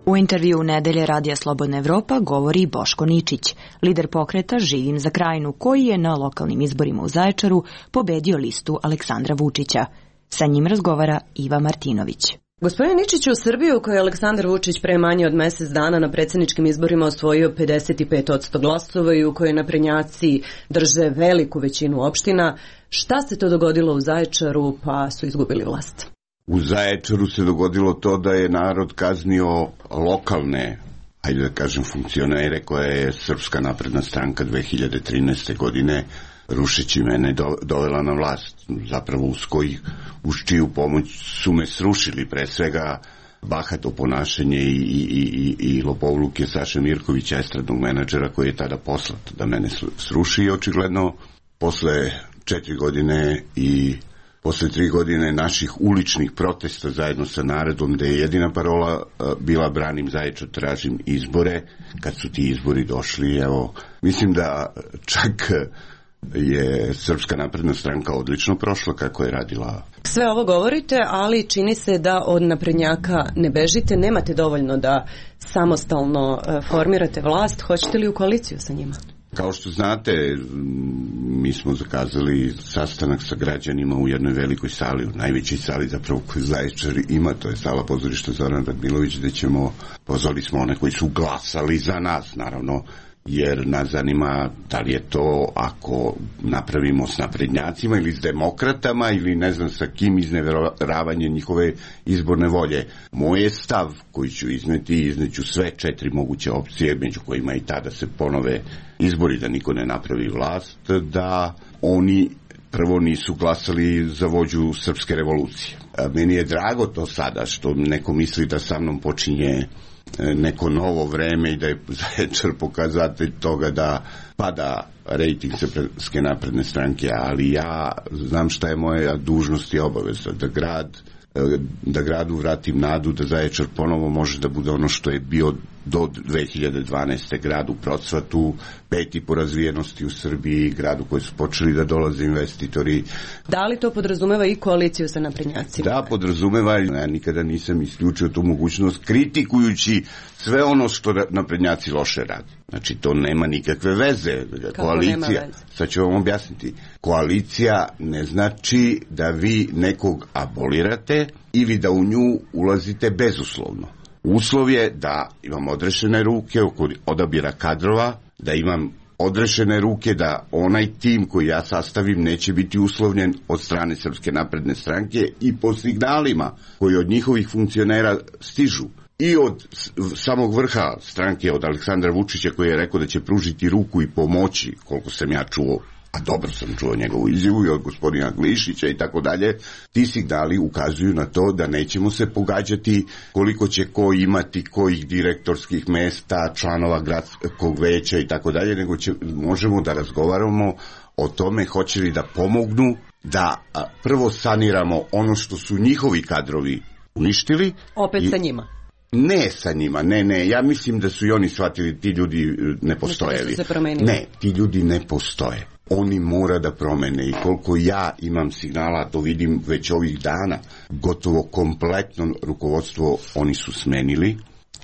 U intervju nedelje Radija Slobodna Evropa govori Boško Ničić, lider pokreta Živim za Krajinu, koji je na lokalnim izborima u Zaječaru pobedio listu Aleksandra Vučića. Sa njim razgovara Iva Martinović. Gospodin Ničić, u Srbiji u kojoj je Aleksandar Vučić pre manje od mjesec dana na predsjedničkim izborima osvojio pedeset pet posto glasova i u kojoj naprednjaci drže veliku većinu opština, šta se to dogodilo u Zaječaru pa su izgubili vlast? U Zaječaru se dogodilo to da je narod kaznio lokalne, ajde da kažem, funkcionere koje je Srpska napredna stranka dve hiljade trinaeste. godine rušeći mene do, dovela na vlast. Zapravo uz koji, uz čiju pomoć su me srušili, pre svega bahato ponašanje i, i, i, i lopovluke Saše Mirkovića, estradnog menadžera koji je tada poslat da mene sruši. I očigledno posle četiri godine i posle tri godine naših uličnih protesta zajedno sa narodom, gde je jedina parola bila branim Zaječar, tražim izbore, kad su ti izbori došli, evo, mislim da čak je Srpska napredna stranka odlično prošla kako je radila. Sve ovo govorite, ali čini se da od naprednjaka ne bežite, nemate dovoljno da samostalno formirate vlast. Hoćete li u koaliciju sa njima? Kao što znate, mi smo zakazali sastanak sa građanima u jednoj velikoj sali, u najvećoj sali zapravo koju Zaječar ima, to je sala pozorišta Zoran Radmilović, gde ćemo, pozvali smo one koji su glasali za nas, naravno, jer nas zanima da li je to ako napravimo s naprednjacima ili s demokratama ili ne znam sa kim izneveravanje njihove izborne volje. Moj je stav koji ću izneti, izneću sve četiri moguće opcije, među kojima i tada se ponove izbori da niko ne napravi vlast, da oni prvo nisu glasali za vođu srpske revolucije. Meni je drago to sada što neko misli da sa mnom počinje neko novo vreme i da je Zaječar pokazatelj toga da pada rejting Srpske napredne stranke, ali ja znam šta je moja dužnost i obaveza, da grad da gradu vratim nadu, da Zaječar ponovo može da bude ono što je bio do dve hiljade dvanaeste. grad u procvatu, peti po razvijenosti u Srbiji, grad u koji su počeli da dolaze investitori. Da li to podrazumeva i koaliciju sa naprednjacima? Da, podrazumeva. Ja nikada nisam isključio tu mogućnost kritikujući sve ono što naprednjaci loše radi. Znači, to nema nikakve veze. Kako koalicija, nema veze? Sad ću vam objasniti. Koalicija ne znači da vi nekog abolirate ili da u nju ulazite bezuslovno. Uslov je da imam odrešene ruke oko odabira kadrova, da imam odrešene ruke da onaj tim koji ja sastavim neće biti uslovljen od strane Srpske napredne stranke i po signalima koji od njihovih funkcionera stižu. I od samog vrha stranke, od Aleksandra Vučića koji je rekao da će pružiti ruku i pomoći, koliko sam ja čuo, a dobro sam čuo njegovu izjavu, i od gospodina Glišića i tako dalje, ti signali ukazuju na to da nećemo se pogađati koliko će ko imati kojih direktorskih mesta, članova gradskog veća i tako dalje, nego će, možemo da razgovaramo o tome hoće li da pomognu da a, prvo saniramo ono što su njihovi kadrovi uništili. Opet i, sa njima? Ne sa njima, ne, ne, ja mislim da su i oni shvatili, ti ljudi ne postojevi. Ne, ti ljudi ne postoje. Oni mora da promene i koliko ja imam signala, to vidim već ovih dana, gotovo kompletno rukovodstvo oni su smenili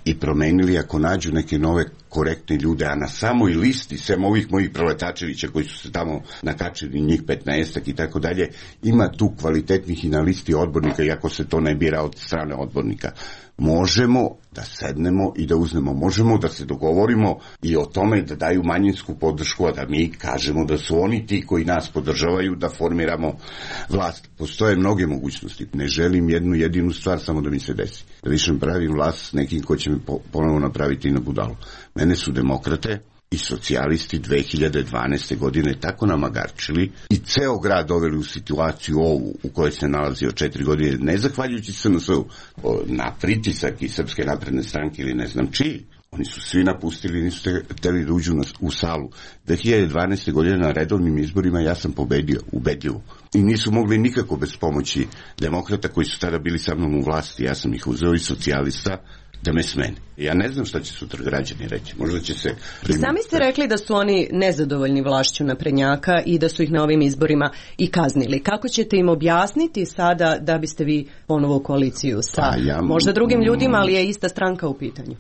i promenili ako nađu neke nove korektne ljude, a na samoj listi, sem ovih mojih proletačevića koji su se tamo nakačili, njih petnaestak i tako dalje, ima tu kvalitetnih i na listi odbornika, iako se to ne bira od strane odbornika. Možemo da sednemo i da uznemo, možemo da se dogovorimo i o tome da daju manjinsku podršku, a da mi kažemo da su oni ti koji nas podržavaju, da formiramo vlast. Postoje mnoge mogućnosti. Ne želim jednu jedinu stvar, samo da mi se desi. Da više pravim vlast s nekim ko će me ponovo napraviti na budalu. Mene su demokrate i socijalisti dve hiljade dvanaeste. godine tako namagarčili i ceo grad doveli u situaciju ovu u kojoj se nalazio četiri godine, ne zahvaljujući S N S-u na pritisak i Srpske napredne stranke ili ne znam čiji. Oni su svi napustili, nisu hteli da uđu u salu. dve hiljade dvanaeste. godine na redovnim izborima ja sam pobedio, ubedljivo. I nisu mogli nikako bez pomoći demokrata koji su tada bili sa mnom u vlasti. Ja sam ih uzeo i socijalista da me smene. Ja ne znam šta će sutra građani reći. Možda će se... I sami ste rekli da su oni nezadovoljni vlašću naprednjaka i da su ih na ovim izborima i kaznili. Kako ćete im objasniti sada da biste vi ponovo u koaliciju sa pa ja, možda drugim ljudima, ali je ista stranka u pitanju?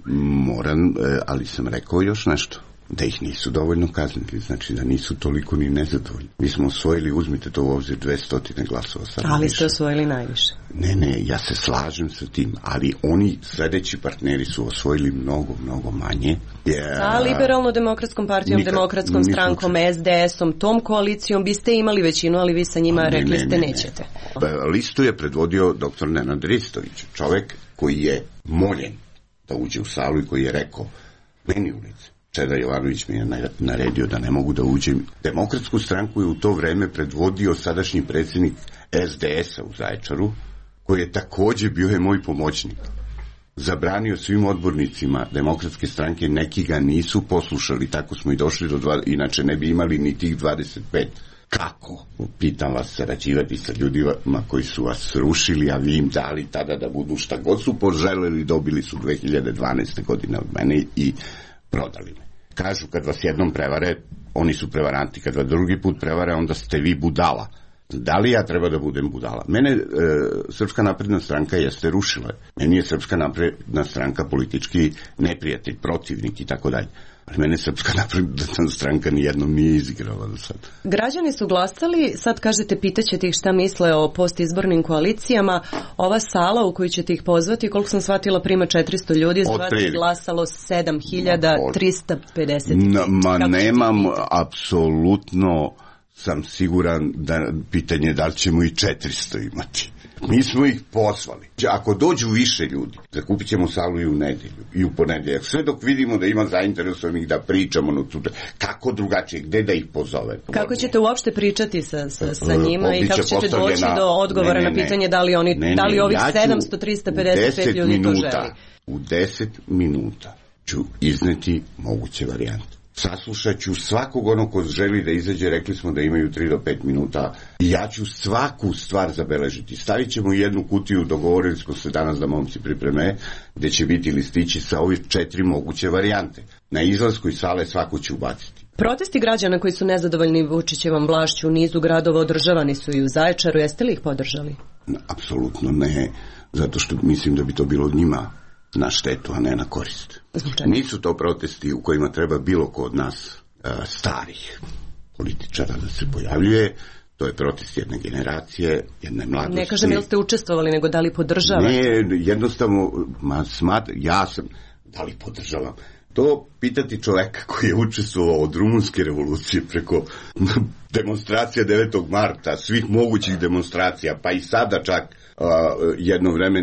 Moram, ali sam rekao još nešto. Da ih nisu dovoljno kaznili, znači da nisu toliko ni nezadovoljni. Mi smo osvojili, uzmite to u obzir, dvesta glasova. Ali više. Ste osvojili najviše. Ne, ne, ja se slažem sa tim, ali oni sledeći partneri su osvojili mnogo, mnogo manje. Yeah. Sa liberalno-demokratskom partijom, Nikad, demokratskom strankom, S D S-om, tom koalicijom biste imali većinu, ali vi sa njima ne, rekli ne, ste ne, nećete. Ne. Listu je predvodio doktor Nenad Ristović, čovek koji je moljen da uđe u salu i koji je rekao, meni ulice. Čeda Jovanović mi je naredio da ne mogu da uđem. Demokratsku stranku je u to vreme predvodio sadašnji predsjednik S D S-a u Zaječaru, koji je takođe bio je moj pomoćnik. Zabranio svim odbornicima demokratske stranke, neki ga nisu poslušali, tako smo i došli do dva, inače ne bi imali ni tih dvadeset pet. Kako? Pitam vas, sarađivati sa ljudima koji su vas rušili, a vi im dali tada da budu šta god su poželeli, dobili su dve hiljade dvanaeste. godine od mene i prodali me. Kažu, kad vas jednom prevare, oni su prevaranti, kad vas drugi put prevare, onda ste vi budala. Da li ja treba da budem budala? Mene e, Srpska napredna stranka jeste rušila. Meni je Srpska napredna stranka politički neprijatelj, protivnik i tako dalje. Ali mene Srpska napredna stranka nijednom nije izigrala do sad. Građani su glasali, sad kažete, pitaćete ih šta misle o postizbornim koalicijama. Ova sala u koju ćete ih pozvati, koliko sam shvatila, prima četiristo ljudi, je glasalo sedam hiljada trista pedeset. Na, ma nemam, apsolutno sam siguran da pitanje da li ćemo i četiristo imati. Mi smo ih pozvali. Ako dođu više ljudi, zakupit ćemo salu i u nedelju, i u ponedeljak. Sve dok vidimo da ima zainteresovanih da pričamo, no, kako drugačije, gde da ih pozove. Kako ćete uopšte pričati sa, sa, sa njima i kako ćete doći do odgovora ne, ne, na pitanje da li, oni, ne, ne, da li ovih ja sedamsto trista pedeset pet ljudi minuta, to želi? U deset minuta ću izneti moguće varijante. Saslušat ću svakog onog ko želi da izađe, rekli smo da imaju tri do pet minuta, i ja ću svaku stvar zabeležiti. Stavit ćemo jednu kutiju, dogovorili smo se danas da momci pripreme, gde će biti listići sa ovih četiri moguće varijante. Na izlasku iz sale svaku ću ubaciti. Protesti građana koji su nezadovoljni Vučićevom vlašću u nizu gradova održavani su i u Zaječaru. Jeste li ih podržali? Apsolutno ne, zato što mislim da bi to bilo njima na štetu, a ne na korist. Nisu to protesti u kojima treba bilo ko od nas a, starih političara da se pojavljuje. To je protest jedne generacije, jedne mladosti. Ne kažem jel ste učestvovali, nego da li podržavate? Ne, jednostavno, ma, smat, ja sam, da li podržavam? To pitati čoveka koji je učestvovao od rumunske revolucije preko demonstracija devetog marta, svih mogućih demonstracija, pa i sada čak uh, jedno vreme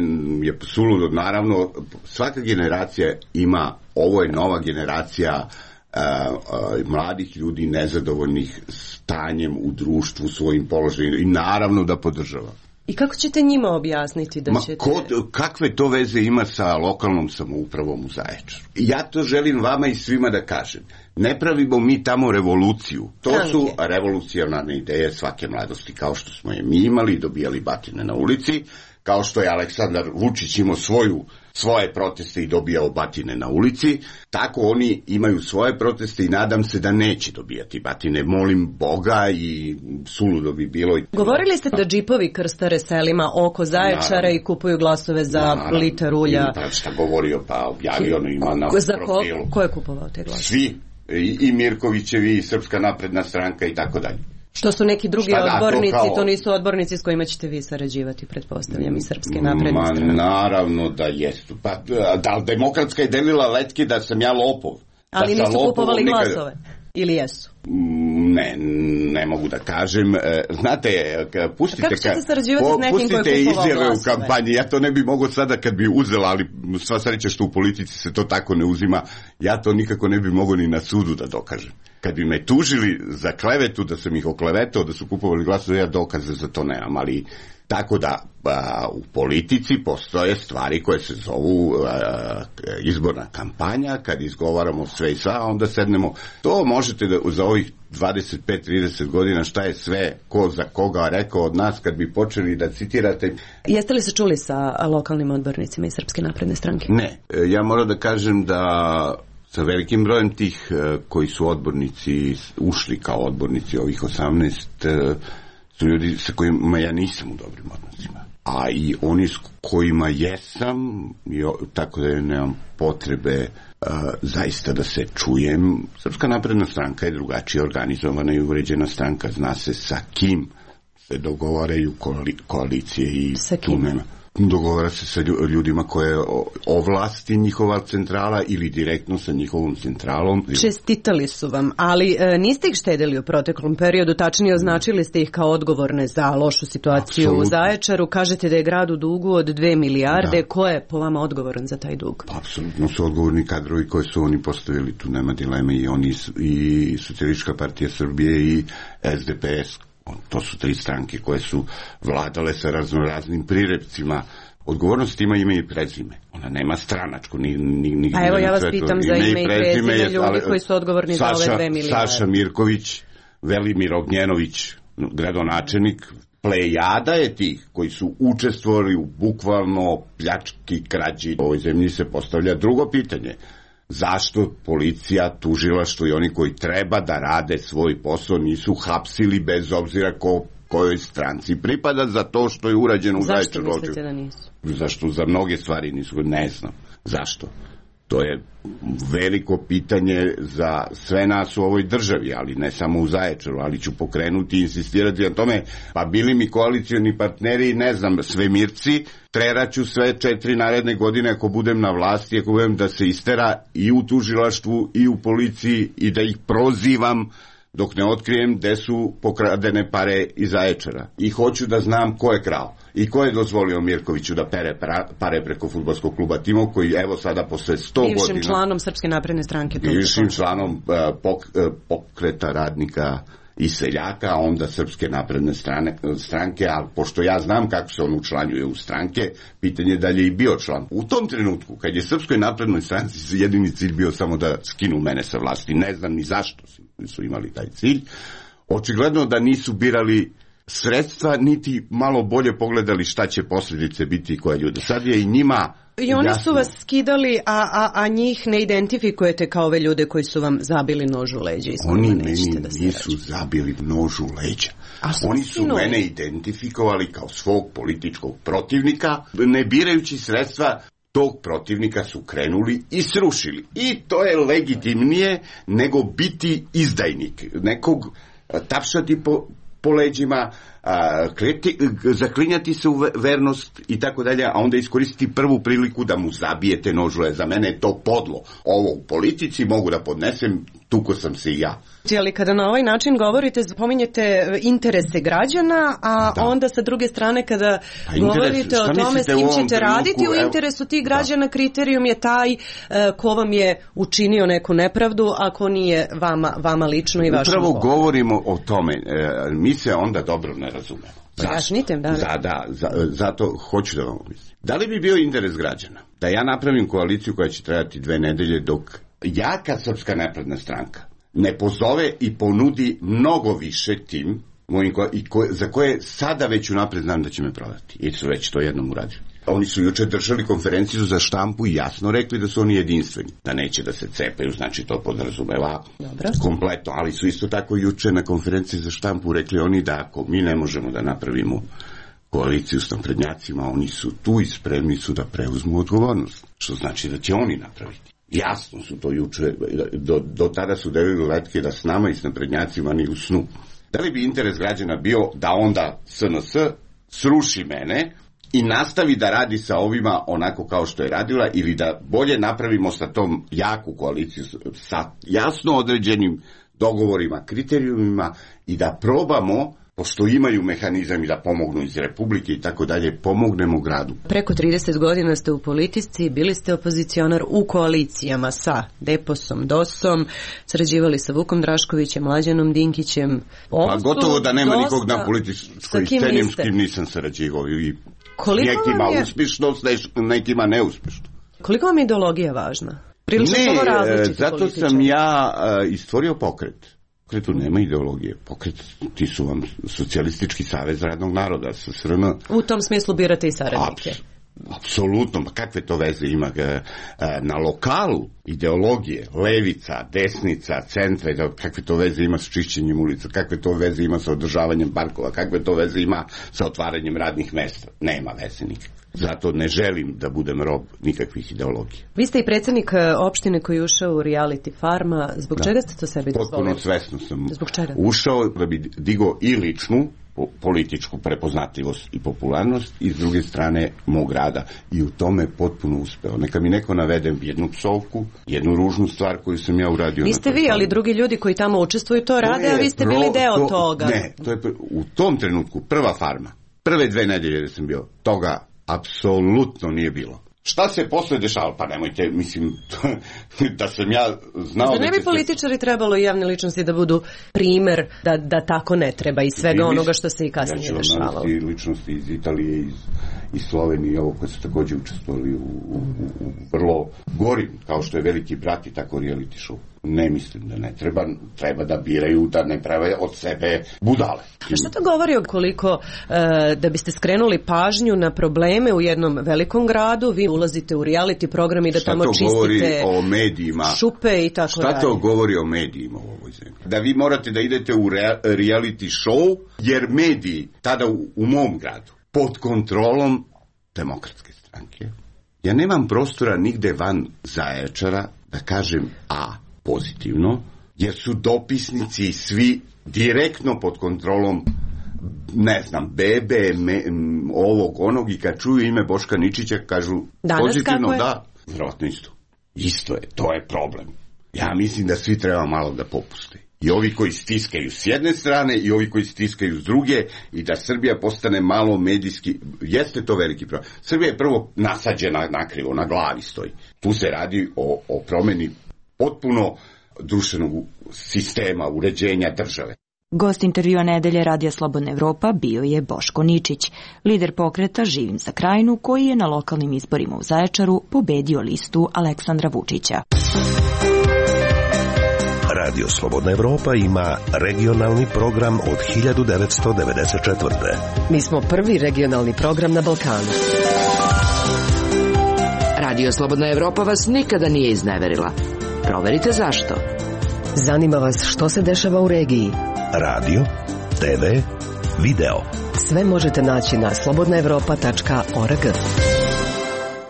je suludo. Naravno, svaka generacija ima, ovo je nova generacija uh, uh, mladih ljudi nezadovoljnih stanjem u društvu, svojim položajem, i naravno da podržava. I kako ćete njima objasniti da Ma, ćete... Kod, kakve to veze ima sa lokalnom samoupravom u Zaječaru? Ja to želim vama i svima da kažem. Ne pravimo mi tamo revoluciju. To Tanke. Su revolucionarne ideje svake mladosti, kao što smo je mi imali, dobijali batine na ulici. kao što je Aleksandar Vučić imao svoju, svoje proteste i dobijao batine na ulici, tako oni imaju svoje proteste i nadam se da neće dobijati batine. Molim Boga i suludo bi bilo. Govorili ste da džipovi krstare selima oko Zaječara naravno, i kupuju glasove za naravno, litar ulja. Pa šta govorio, pa objavio ono ima na za profilu. Ko, ko je kupovao te glasove? Svi, i, i Mirkovićevi, i Srpska napredna stranka i tako dalje. Što su neki drugi šta odbornici, da, to, kao... to nisu odbornici s kojima ćete vi sarađivati, pretpostavljam, i Srpske napredne stranke. Ma naravno da jesu. Pa da, Demokratska je delila letke da sam ja lopov. Ali da nisu kupovali nikad... glasove? Ili jesu? Ne, ne mogu da kažem. Znate, pustite, kako ćete sarađivati s nekim koji je kupovao izjave glasove? U kampanji. Ja to ne bi mogo sada kad bi uzela, ali sva sreća što u politici se to tako ne uzima. Ja to nikako ne bi mogo ni na sudu da dokažem. Kad bi me tužili za klevetu, da sam ih oklevetao, da su kupovali glasove, ja dokaze za to nemam, ali tako da a, u politici postoje stvari koje se zovu a, izborna kampanja, kad izgovaramo sve i sva, onda sednemo. To možete da za ovih dvadeset pet trideset godina šta je sve, ko za koga rekao od nas, kad bi počeli da citirate. Jeste li se čuli sa lokalnim odbornicima iz Srpske napredne stranke? Ne, ja moram da kažem da sa velikim brojem tih koji su odbornici, ušli kao odbornici ovih osamnaest, su ljudi sa kojima ja nisam u dobrim odnosima. A i oni s kojima jesam, tako da nemam potrebe uh, zaista da se čujem. Srpska napredna stranka je drugačije organizovana i uređena stranka. Zna se sa kim se dogovaraju koali, koalicije i tu nema. Dogovara se sa ljudima koje ovlasti njihova centrala ili direktno sa njihovom centralom. Čestitali su vam, ali e, niste ih štedili u proteklom periodu, tačnije označili ste ih kao odgovorne za lošu situaciju Absolutno. U Zaječaru. Kažete da je grad u dugu od dve milijarde. Da. Ko je po vama odgovoran za taj dug? Apsolutno su odgovorni kadrovi koje su oni postavili, tu nema dileme, i oni i Socijalistička partija Srbije i S D P S. To su tri stranke koje su vladale sa raznoraznim prirepcima. Odgovornost ima ime i prezime. Ona nema stranačku. Ni, ni, ni, A evo ja vas pitam za ime i prezime, prezime ljudi koji su odgovorni Saša, za ove dve milijarde. Saša Mirković, Velimir Ognjenović, gradonačelnik, plejada je tih koji su učestvovali u bukvalno pljački, krađi. U ovoj zemlji se postavlja drugo pitanje. Zašto policija, tužilaštvo i oni koji treba da rade svoj posao nisu hapsili bez obzira ko, kojoj stranci pripada za to što je urađeno u Zaječaru? Zašto mislite da nisu? Zašto za mnoge stvari nisu? Ne znam. Zašto? To je veliko pitanje za sve nas u ovoj državi, ali ne samo u Zaječaru, ali ću pokrenuti i insistirati na tome, pa bili mi koalicioni partneri, ne znam, svemirci, treraću sve četiri naredne godine ako budem na vlasti, ako budem da se istera i u tužilaštvu i u policiji i da ih prozivam dok ne otkrijem gde su pokradene pare iz Zaječara. I hoću da znam ko je krao i ko je dozvolio Mirkoviću da pere pare preko fudbalskog kluba Timok, koji evo sada posle sto godina... Bivšim članom Srpske napredne stranke. Bivšim članom uh, pok, uh, pokreta radnika i seljaka, a onda Srpske napredne strane, stranke, a pošto ja znam kako se on učlanjuje u stranke, pitanje je da li je i bio član. U tom trenutku, kad je Srpskoj naprednoj stranci jedini cilj bio samo da skinu mene sa vlasti, ne znam ni zašto su imali taj cilj, očigledno da nisu birali sredstva, niti malo bolje pogledali šta će posljedice biti i koje ljude. Sad je i njima I oni jasno. Su vas skidali, a, a, a njih ne identifikujete kao ove ljude koji su vam zabili nož u leđa. Oni meni da nisu rađu. zabili nož u leđa. Oni su skinuli. Mene identifikovali kao svog političkog protivnika, ne birajući sredstva tog protivnika su krenuli i srušili. I to je legitimnije nego biti izdajnik. Nekog tapšati po, po leđima, a, kreti, zaklinjati se u vernost i tako dalje, a onda iskoristiti prvu priliku da mu zabijete nožule. Za mene je to podlo. Ovo u politici mogu da podnesem, tuko sam se i ja. Ali kada na ovaj način govorite, spominjete interese građana, a da. Onda sa druge strane kada pa govorite interes, o tome s kim ćete raditi trenutku, u interesu tih građana, da. Kriterijum je taj uh, ko vam je učinio neku nepravdu, ako nije vama, vama lično i vašom Upravo polu. Govorimo o tome, e, mi se onda dobro ne razumemo. Zašto? Da, za, da, za, zato hoću da vam mislim. Da li bi bio interes građana da ja napravim koaliciju koja će trajati dve nedelje dok jaka Srpska napredna stranka ne pozove i ponudi mnogo više tim mojim, i ko, za koje sada već unapred znam da će me prodati. I su već to jednom uradili. Oni su juče držali konferenciju za štampu i jasno rekli da su oni jedinstveni. Da neće da se cepaju, znači to podrazumeva kompletno. Ali su isto tako juče na konferenciji za štampu rekli oni da ako mi ne možemo da napravimo koaliciju s naprednjacima, oni su tu i spremni su da preuzmu odgovornost. Što znači da će oni napraviti. Jasno su to juče, do, do tada su delili letke da s nama i s naprednjacima ni u snu. Da li bi interes građana bio da onda S N S sruši mene i nastavi da radi sa ovima onako kao što je radila, ili da bolje napravimo sa tom jaku koaliciju, sa jasno određenim dogovorima, kriterijumima i da probamo, pošto imaju mehanizam i da pomognu iz Republike i tako dalje, pomognemo gradu. Preko trideset godina ste u politici, bili ste opozicionar u koalicijama sa Deposom, Dosom, sarađivali sa Vukom Draškovićem, Mlađanom Dinkićem. Pa gotovo da nema dosta... nikog na političkoj sceni s kim nisam sarađivao i koliko nekima je... uspješno, s nekima neuspješno. Koliko vam je ideologija važna? Prilično ne, različiti zato političari. Sam ja uh, istvorio pokret. Pokretu nema ideologije. Pokret, ti su vam Socijalistički savez radnog naroda, S S R N. U tom smislu birate i saradnike. Abs, apsolutno, pa kakve to veze ima na lokalu ideologije, levica, desnica, centra, kakve to veze ima s čišćenjem ulica, kakve to veze ima sa održavanjem parkova, kakve to veze ima sa otvaranjem radnih mesta. Nema veze nikakve. Zato ne želim da budem rob nikakvih ideologija. Vi ste i predsjednik opštine koji je ušao u reality farma. Zbog da. čega ste to sebi dozvolili? Potpuno svesno sam Zbog čega? ušao da bi digao i ličnu političku prepoznatljivost i popularnost i s druge strane mog rada. I u tome potpuno uspeo. Neka mi neko navede jednu psovku, jednu ružnu stvar koju sam ja uradio. Niste vi, ali drugi ljudi koji tamo učestvuju to rade, a vi ste bili deo to, toga. Ne, to je u tom trenutku prva farma. Prve dve nedelje da sam bio, toga apsolutno nije bilo. Šta se posle dešava? Pa nemojte, mislim, da sam ja znao... Da ne bi političari trebalo i javne ličnosti da budu primer da, da tako ne treba i svega I onoga što se i kasnije ja dešavalo. Ja ću ličnosti iz Italije, iz, iz Slovenije, ovo koje su također učestvovali u, u, u vrlo gorim, kao što je Veliki brat i tako reality show. Ne mislim da ne treba, treba da biraju, da ne prave od sebe budale. A što to govori o koliko e, da biste skrenuli pažnju na probleme u jednom velikom gradu, vi ulazite u reality program i da šta tamo čistite o medijima, šupe i tako šta dalje. Šta to govori o medijima u ovoj zemlji? Da vi morate da idete u rea, reality show, jer mediji tada u, u mom gradu, pod kontrolom Demokratske stranke, ja nemam prostora nigde van Zaječara da kažem a pozitivno, jer su dopisnici svi direktno pod kontrolom, ne znam, bebe, me, ovog, onog, i kad čuju ime Boška Ničića, kažu danas pozitivno, da, vjerojatno isto. Isto je, to je problem. Ja mislim da svi treba malo da popuste. I ovi koji stiskaju s jedne strane i ovi koji stiskaju s druge, i da Srbija postane malo medijski, jeste to veliki problem. Srbija je prvo nasađena nakrivo, na glavi stoji. Tu se radi o, o promeni potpuno društvenog sistema, uređenja države. Gost intervjua nedelje Radija Slobodna Evropa bio je Boško Ničić, lider pokreta Živim za Krajinu, koji je na lokalnim izborima u Zaječaru pobedio listu Aleksandra Vučića. Radio Slobodna Evropa ima regionalni program od hiljadu devetsto devedeset četvrte. Mi smo prvi regionalni program na Balkanu. Radio Slobodna Evropa vas nikada nije izneverila. Proverite zašto. Zanima vas što se dešava u regiji. Radio, te ve, video. Sve možete naći na slobodna evropa tačka org.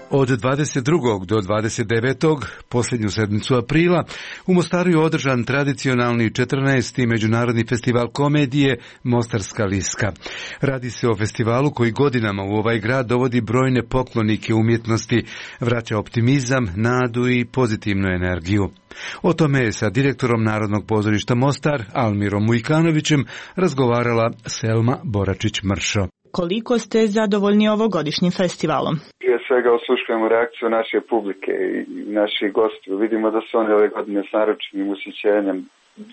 Od dvadeset drugog do dvadeset devetog posljednju sedmicu aprila, u Mostaru je održan tradicionalni četrnaesti međunarodni festival komedije Mostarska liska. Radi se o festivalu koji godinama u ovaj grad dovodi brojne poklonike umjetnosti, vraća optimizam, nadu i pozitivnu energiju. O tome je sa direktorom Narodnog pozorišta Mostar, Almirom Mujkanovićem, razgovarala Selma Boračić-Mršo. Koliko ste zadovoljni ovogodišnjim festivalom? Prije svega osluškujemo reakciju naše publike i naših gostiju. Vidimo da su oni ove godine s naročitim ushićenjem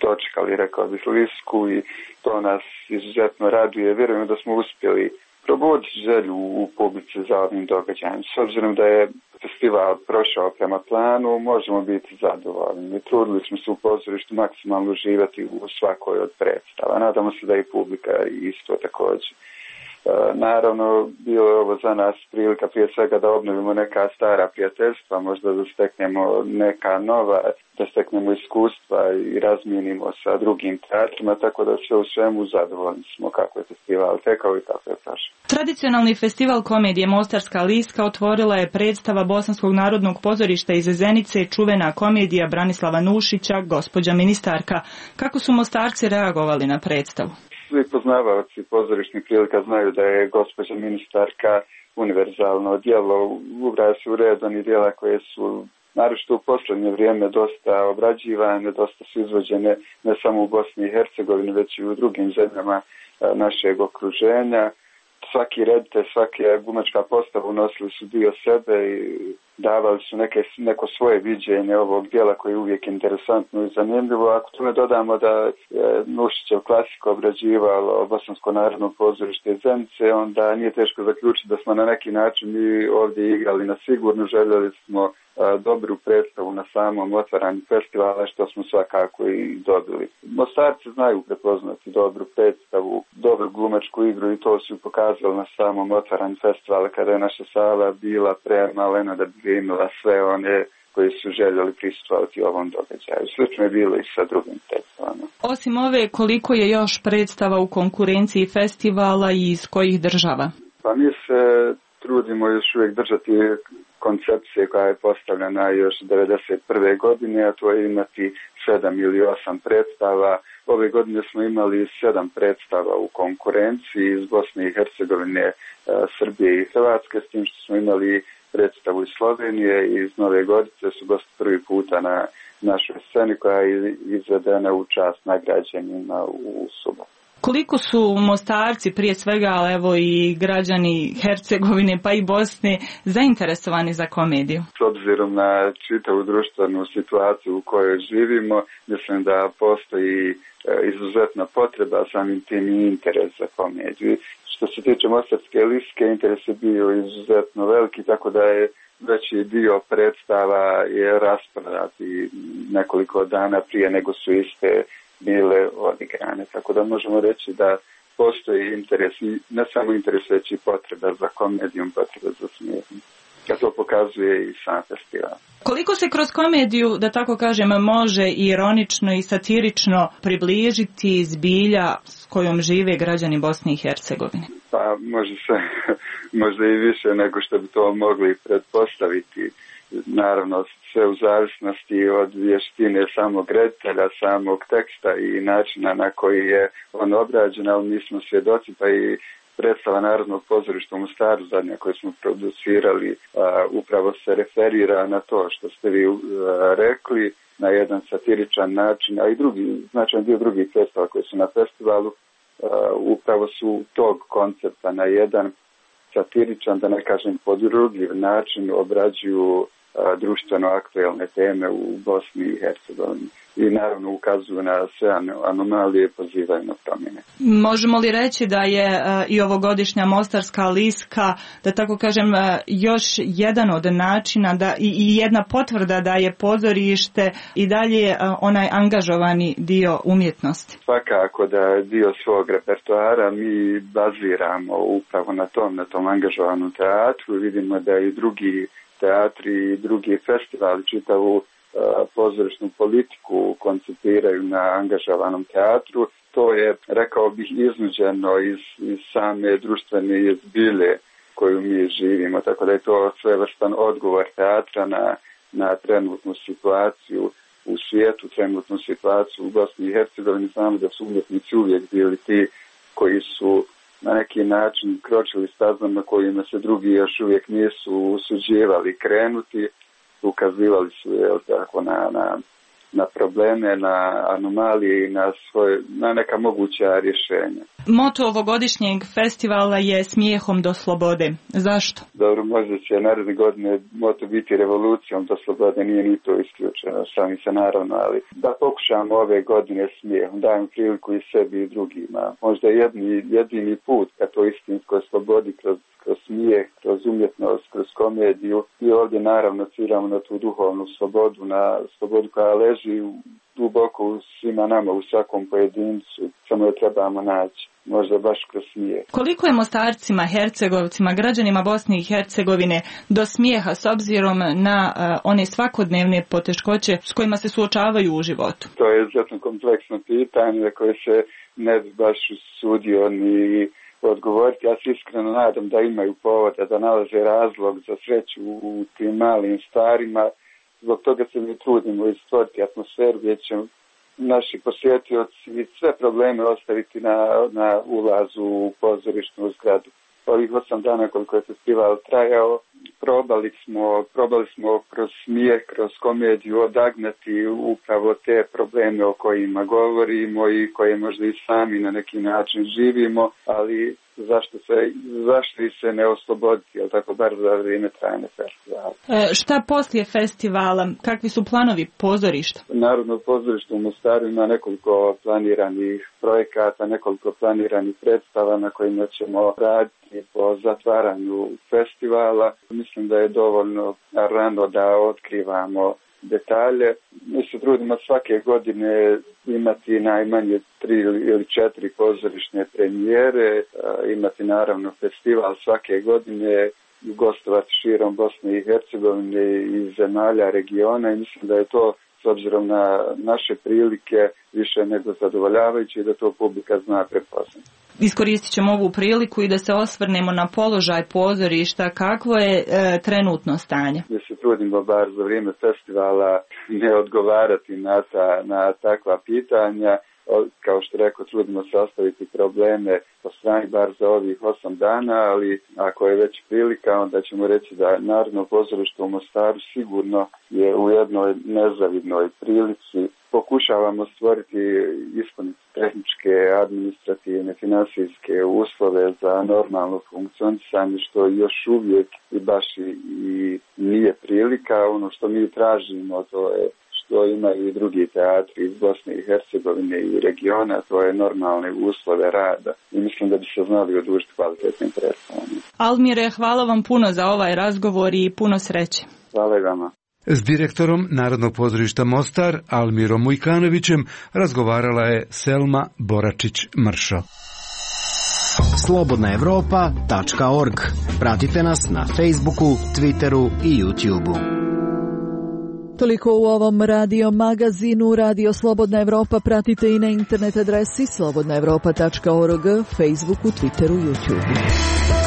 dočekali, rekao bih, lisku, i to nas izuzetno raduje. Vjerujemo da smo uspjeli probuditi želju u publici za ovim događajem. S obzirom da je festival prošao prema planu, možemo biti zadovoljni. Trudili smo se u pozorištu maksimalno uživati u svakoj od predstava. Nadamo se da i publika isto također. Naravno, bilo je ovo za nas prilika prije svega da obnovimo neka stara prijateljstva, možda da steknemo neka nova, da steknemo iskustva i razmijenimo sa drugim teatrima, tako da sve u svemu zadovoljni smo kako je festival tekao i kako je prošao. Tradicionalni festival komedije Mostarska liska otvorila je predstava Bosanskog narodnog pozorišta iz Zenice, čuvena komedija Branislava Nušića, Gospođa ministarka. Kako su Mostarci reagovali na predstavu? Svi poznavaoci pozorišnih prilika znaju da je Gospođa ministarka univerzalno djelo, ubraja se u red onih djela koje su naročito u posljednje vrijeme dosta obrađivane, dosta su izvođene ne samo u Bosni i Hercegovini, već i u drugim zemljama našeg okruženja. Svaki reditelj, svaka glumačka postava unosili su dio sebe i davali su neke, neko svoje viđenje ovog dijela koje je uvijek interesantno i zanimljivo. Ako tome dodamo da je Nušićev klasiko obrađivalo Bosansko narodno pozorište iz Zenice, onda nije teško zaključiti da smo na neki način mi ovdje igrali na sigurno, željeli smo dobru predstavu na samom otvaranju festivala, što smo svakako i dobili. Mostarci znaju prepoznati dobru predstavu, dobru glumačku igru i to su pokazali na samom otvaranju festivala kada je naša sala bila premalena da bi imala sve one koji su željeli prisustvovati ovom događaju. Slično je bilo i sa drugim predstavama. Osim ove, koliko je još predstava u konkurenciji festivala i iz kojih država? Pa mi se trudimo još uvijek držati koncepcije koja je postavljena još devedeset prve godine, a to je imati sedam ili osam predstava. Ove godine smo imali sedam predstava u konkurenciji iz Bosne i Hercegovine, Srbije i Hrvatske, s tim što smo imali predstavu iz Slovenije i iz Nove Gorice, su gosti prvi puta na našoj sceni koja je izvedena u čast nagrađenima u subotu. Koliko su Mostarci, prije svega, ali evo i građani Hercegovine pa i Bosne, zainteresovani za komediju? S obzirom na čitavu društvenu situaciju u kojoj živimo, mislim da postoji izuzetna potreba, samim tim i interes za komediju. Što se tiče Mostarske liske, interes je bio izuzetno veliki, tako da je veći dio predstava je rasprodat i nekoliko dana prije nego su iste bile odigrane. Tako da možemo reći da postoji interes, ne samo interes, već i potreba za komedijom, potreba za smijehom. A to pokazuje i sam festival. Koliko se kroz komediju, da tako kažem, može ironično i satirično približiti zbilja s kojom žive građani Bosne i Hercegovine? Pa može se, možda i više nego što bi to mogli pretpostaviti. Naravno, sve u zavisnosti od vještine samog reditelja, samog teksta i načina na koji je on obrađen, ali mi smo svjedoci, pa i predstava Narodnog pozorišta u Mostaru zadnja koju smo producirali a, upravo se referira na to što ste vi a, rekli, na jedan satiričan način, a i drugi, značajan dio drugih predstava koji su na festivalu a, upravo su tog koncepta na jedan satiričan, da ne kažem podrugljiv način obrađuju a, društveno aktuelne teme u Bosni i Hercegovini. I naravno ukazuju na sve anomalije, pozivaju na promjene. Možemo li reći da je uh, i ovogodišnja Mostarska liska, da tako kažem, uh, još jedan od načina da, i, i jedna potvrda da je pozorište i dalje uh, onaj angažovani dio umjetnosti? Svakako da je dio svog repertoara mi baziramo upravo na tom, na tom angažovanom teatru. Vidimo da i drugi teatri i drugi festivali čitavu pozorišnu politiku koncipiraju na angažovanom teatru. To je, rekao bih, iznuđeno iz, iz same društvene zbilje koju mi živimo, tako da je to svevrstan odgovor teatra na, na trenutnu situaciju u svijetu, trenutnu situaciju u Bosni i Hercegovini. Znamo da su umjetnici uvijek bili ti koji su na neki način kročili stazama kojima se drugi još uvijek nisu usuđivali krenuti. Ukazivali su je tako na, na na probleme, na anomalije i na, svoje, na neka moguća rješenja. Moto ovogodišnjeg festivala je smijehom do slobode. Zašto? Dobro, možda će naredne godine moto biti revolucijom do slobode, nije ni to isključeno, sami se naravno, ali da pokušamo ove godine smijehom, dajem priliku i sebi i drugima. Možda jedni, jedini put ka to istinskoj slobodi kroz kroz smijeh, kroz umjetnost, kroz komediju i ovdje naravno ciramo na tu duhovnu slobodu, na slobodu koja leži duboko u svima nama, u svakom pojedincu, samo je trebamo naći, možda baš kroz smijeh. Koliko je Mostarcima, Hercegovcima, građanima Bosne i Hercegovine do smijeha s obzirom na uh, one svakodnevne poteškoće s kojima se suočavaju u životu? To je izuzetno kompleksno pitanje koje se ne bi baš usudio ni odgovoriti. Ja se iskreno nadam da imaju povoda, da nalaze razlog za sreću u tim malim stvarima. Zbog toga se mi trudimo i stvoriti atmosferu gdje će naši posjetioci sve probleme ostaviti na, na ulazu u pozorišnu zgradu. Ovih osam dana koliko je festival trajao, probali smo, probali smo kroz smijeh, kroz komediju odagnati upravo te probleme o kojima govorimo i koje možda i sami na neki način živimo, ali zašto se, zašto ih se ne osloboditi, ali tako bar za vrijeme trajanja festivala. E, šta poslije festivala? Kakvi su planovi pozorišta? Narodno pozorište u Mostaru ima nekoliko planiranih projekata, nekoliko planiranih predstava na kojima ćemo raditi po zatvaranju festivala. Mislim da je dovoljno rano da otkrivamo detalje. Mi se trudimo svake godine imati najmanje tri ili četiri pozorišne premijere, imati naravno festival svake godine, gostovati širom Bosne i Hercegovine i zemalja regiona i mislim da je to s obzirom na naše prilike više nego zadovoljavajuće i da to publika zna prepoznati. Iskoristit ćemo ovu priliku i da se osvrnemo na položaj pozorišta. Kakvo je e, trenutno stanje? Mi se trudimo bar za vrijeme festivala ne odgovarati na, ta, na takva pitanja. Kao što rekao, trudimo se ostaviti probleme po strani bar za ovih osam dana, ali ako je već prilika, onda ćemo reći da Narodno pozorište u Mostaru sigurno je u jednoj nezavidnoj prilici. Pokušavamo stvoriti, ispuniti tehničke, administrativne, finansijske uslove za normalno funkcionisanje, što još uvijek i baš i, i nije prilika. Ono što mi tražimo, to je što imaju i drugi teatri iz Bosne i Hercegovine i regiona, to je normalne uslove rada i mislim da bi se znali odužiti kvalitetnim predstavama. Almire, hvala vam puno za ovaj razgovor i puno sreće. Hvala vama. S direktorom Narodnog pozorišta Mostar, Almirom Mujkanovićem, razgovarala je Selma Boračić-Mršo. slobodna evropa tačka org. Pratite nas na Facebooku, Twitteru i YouTubeu. Toliko u ovom radio magazinu. Radio Slobodna Evropa pratite i na internet adresi slobodna evropa tačka org, Facebooku, Twitteru, YouTubeu.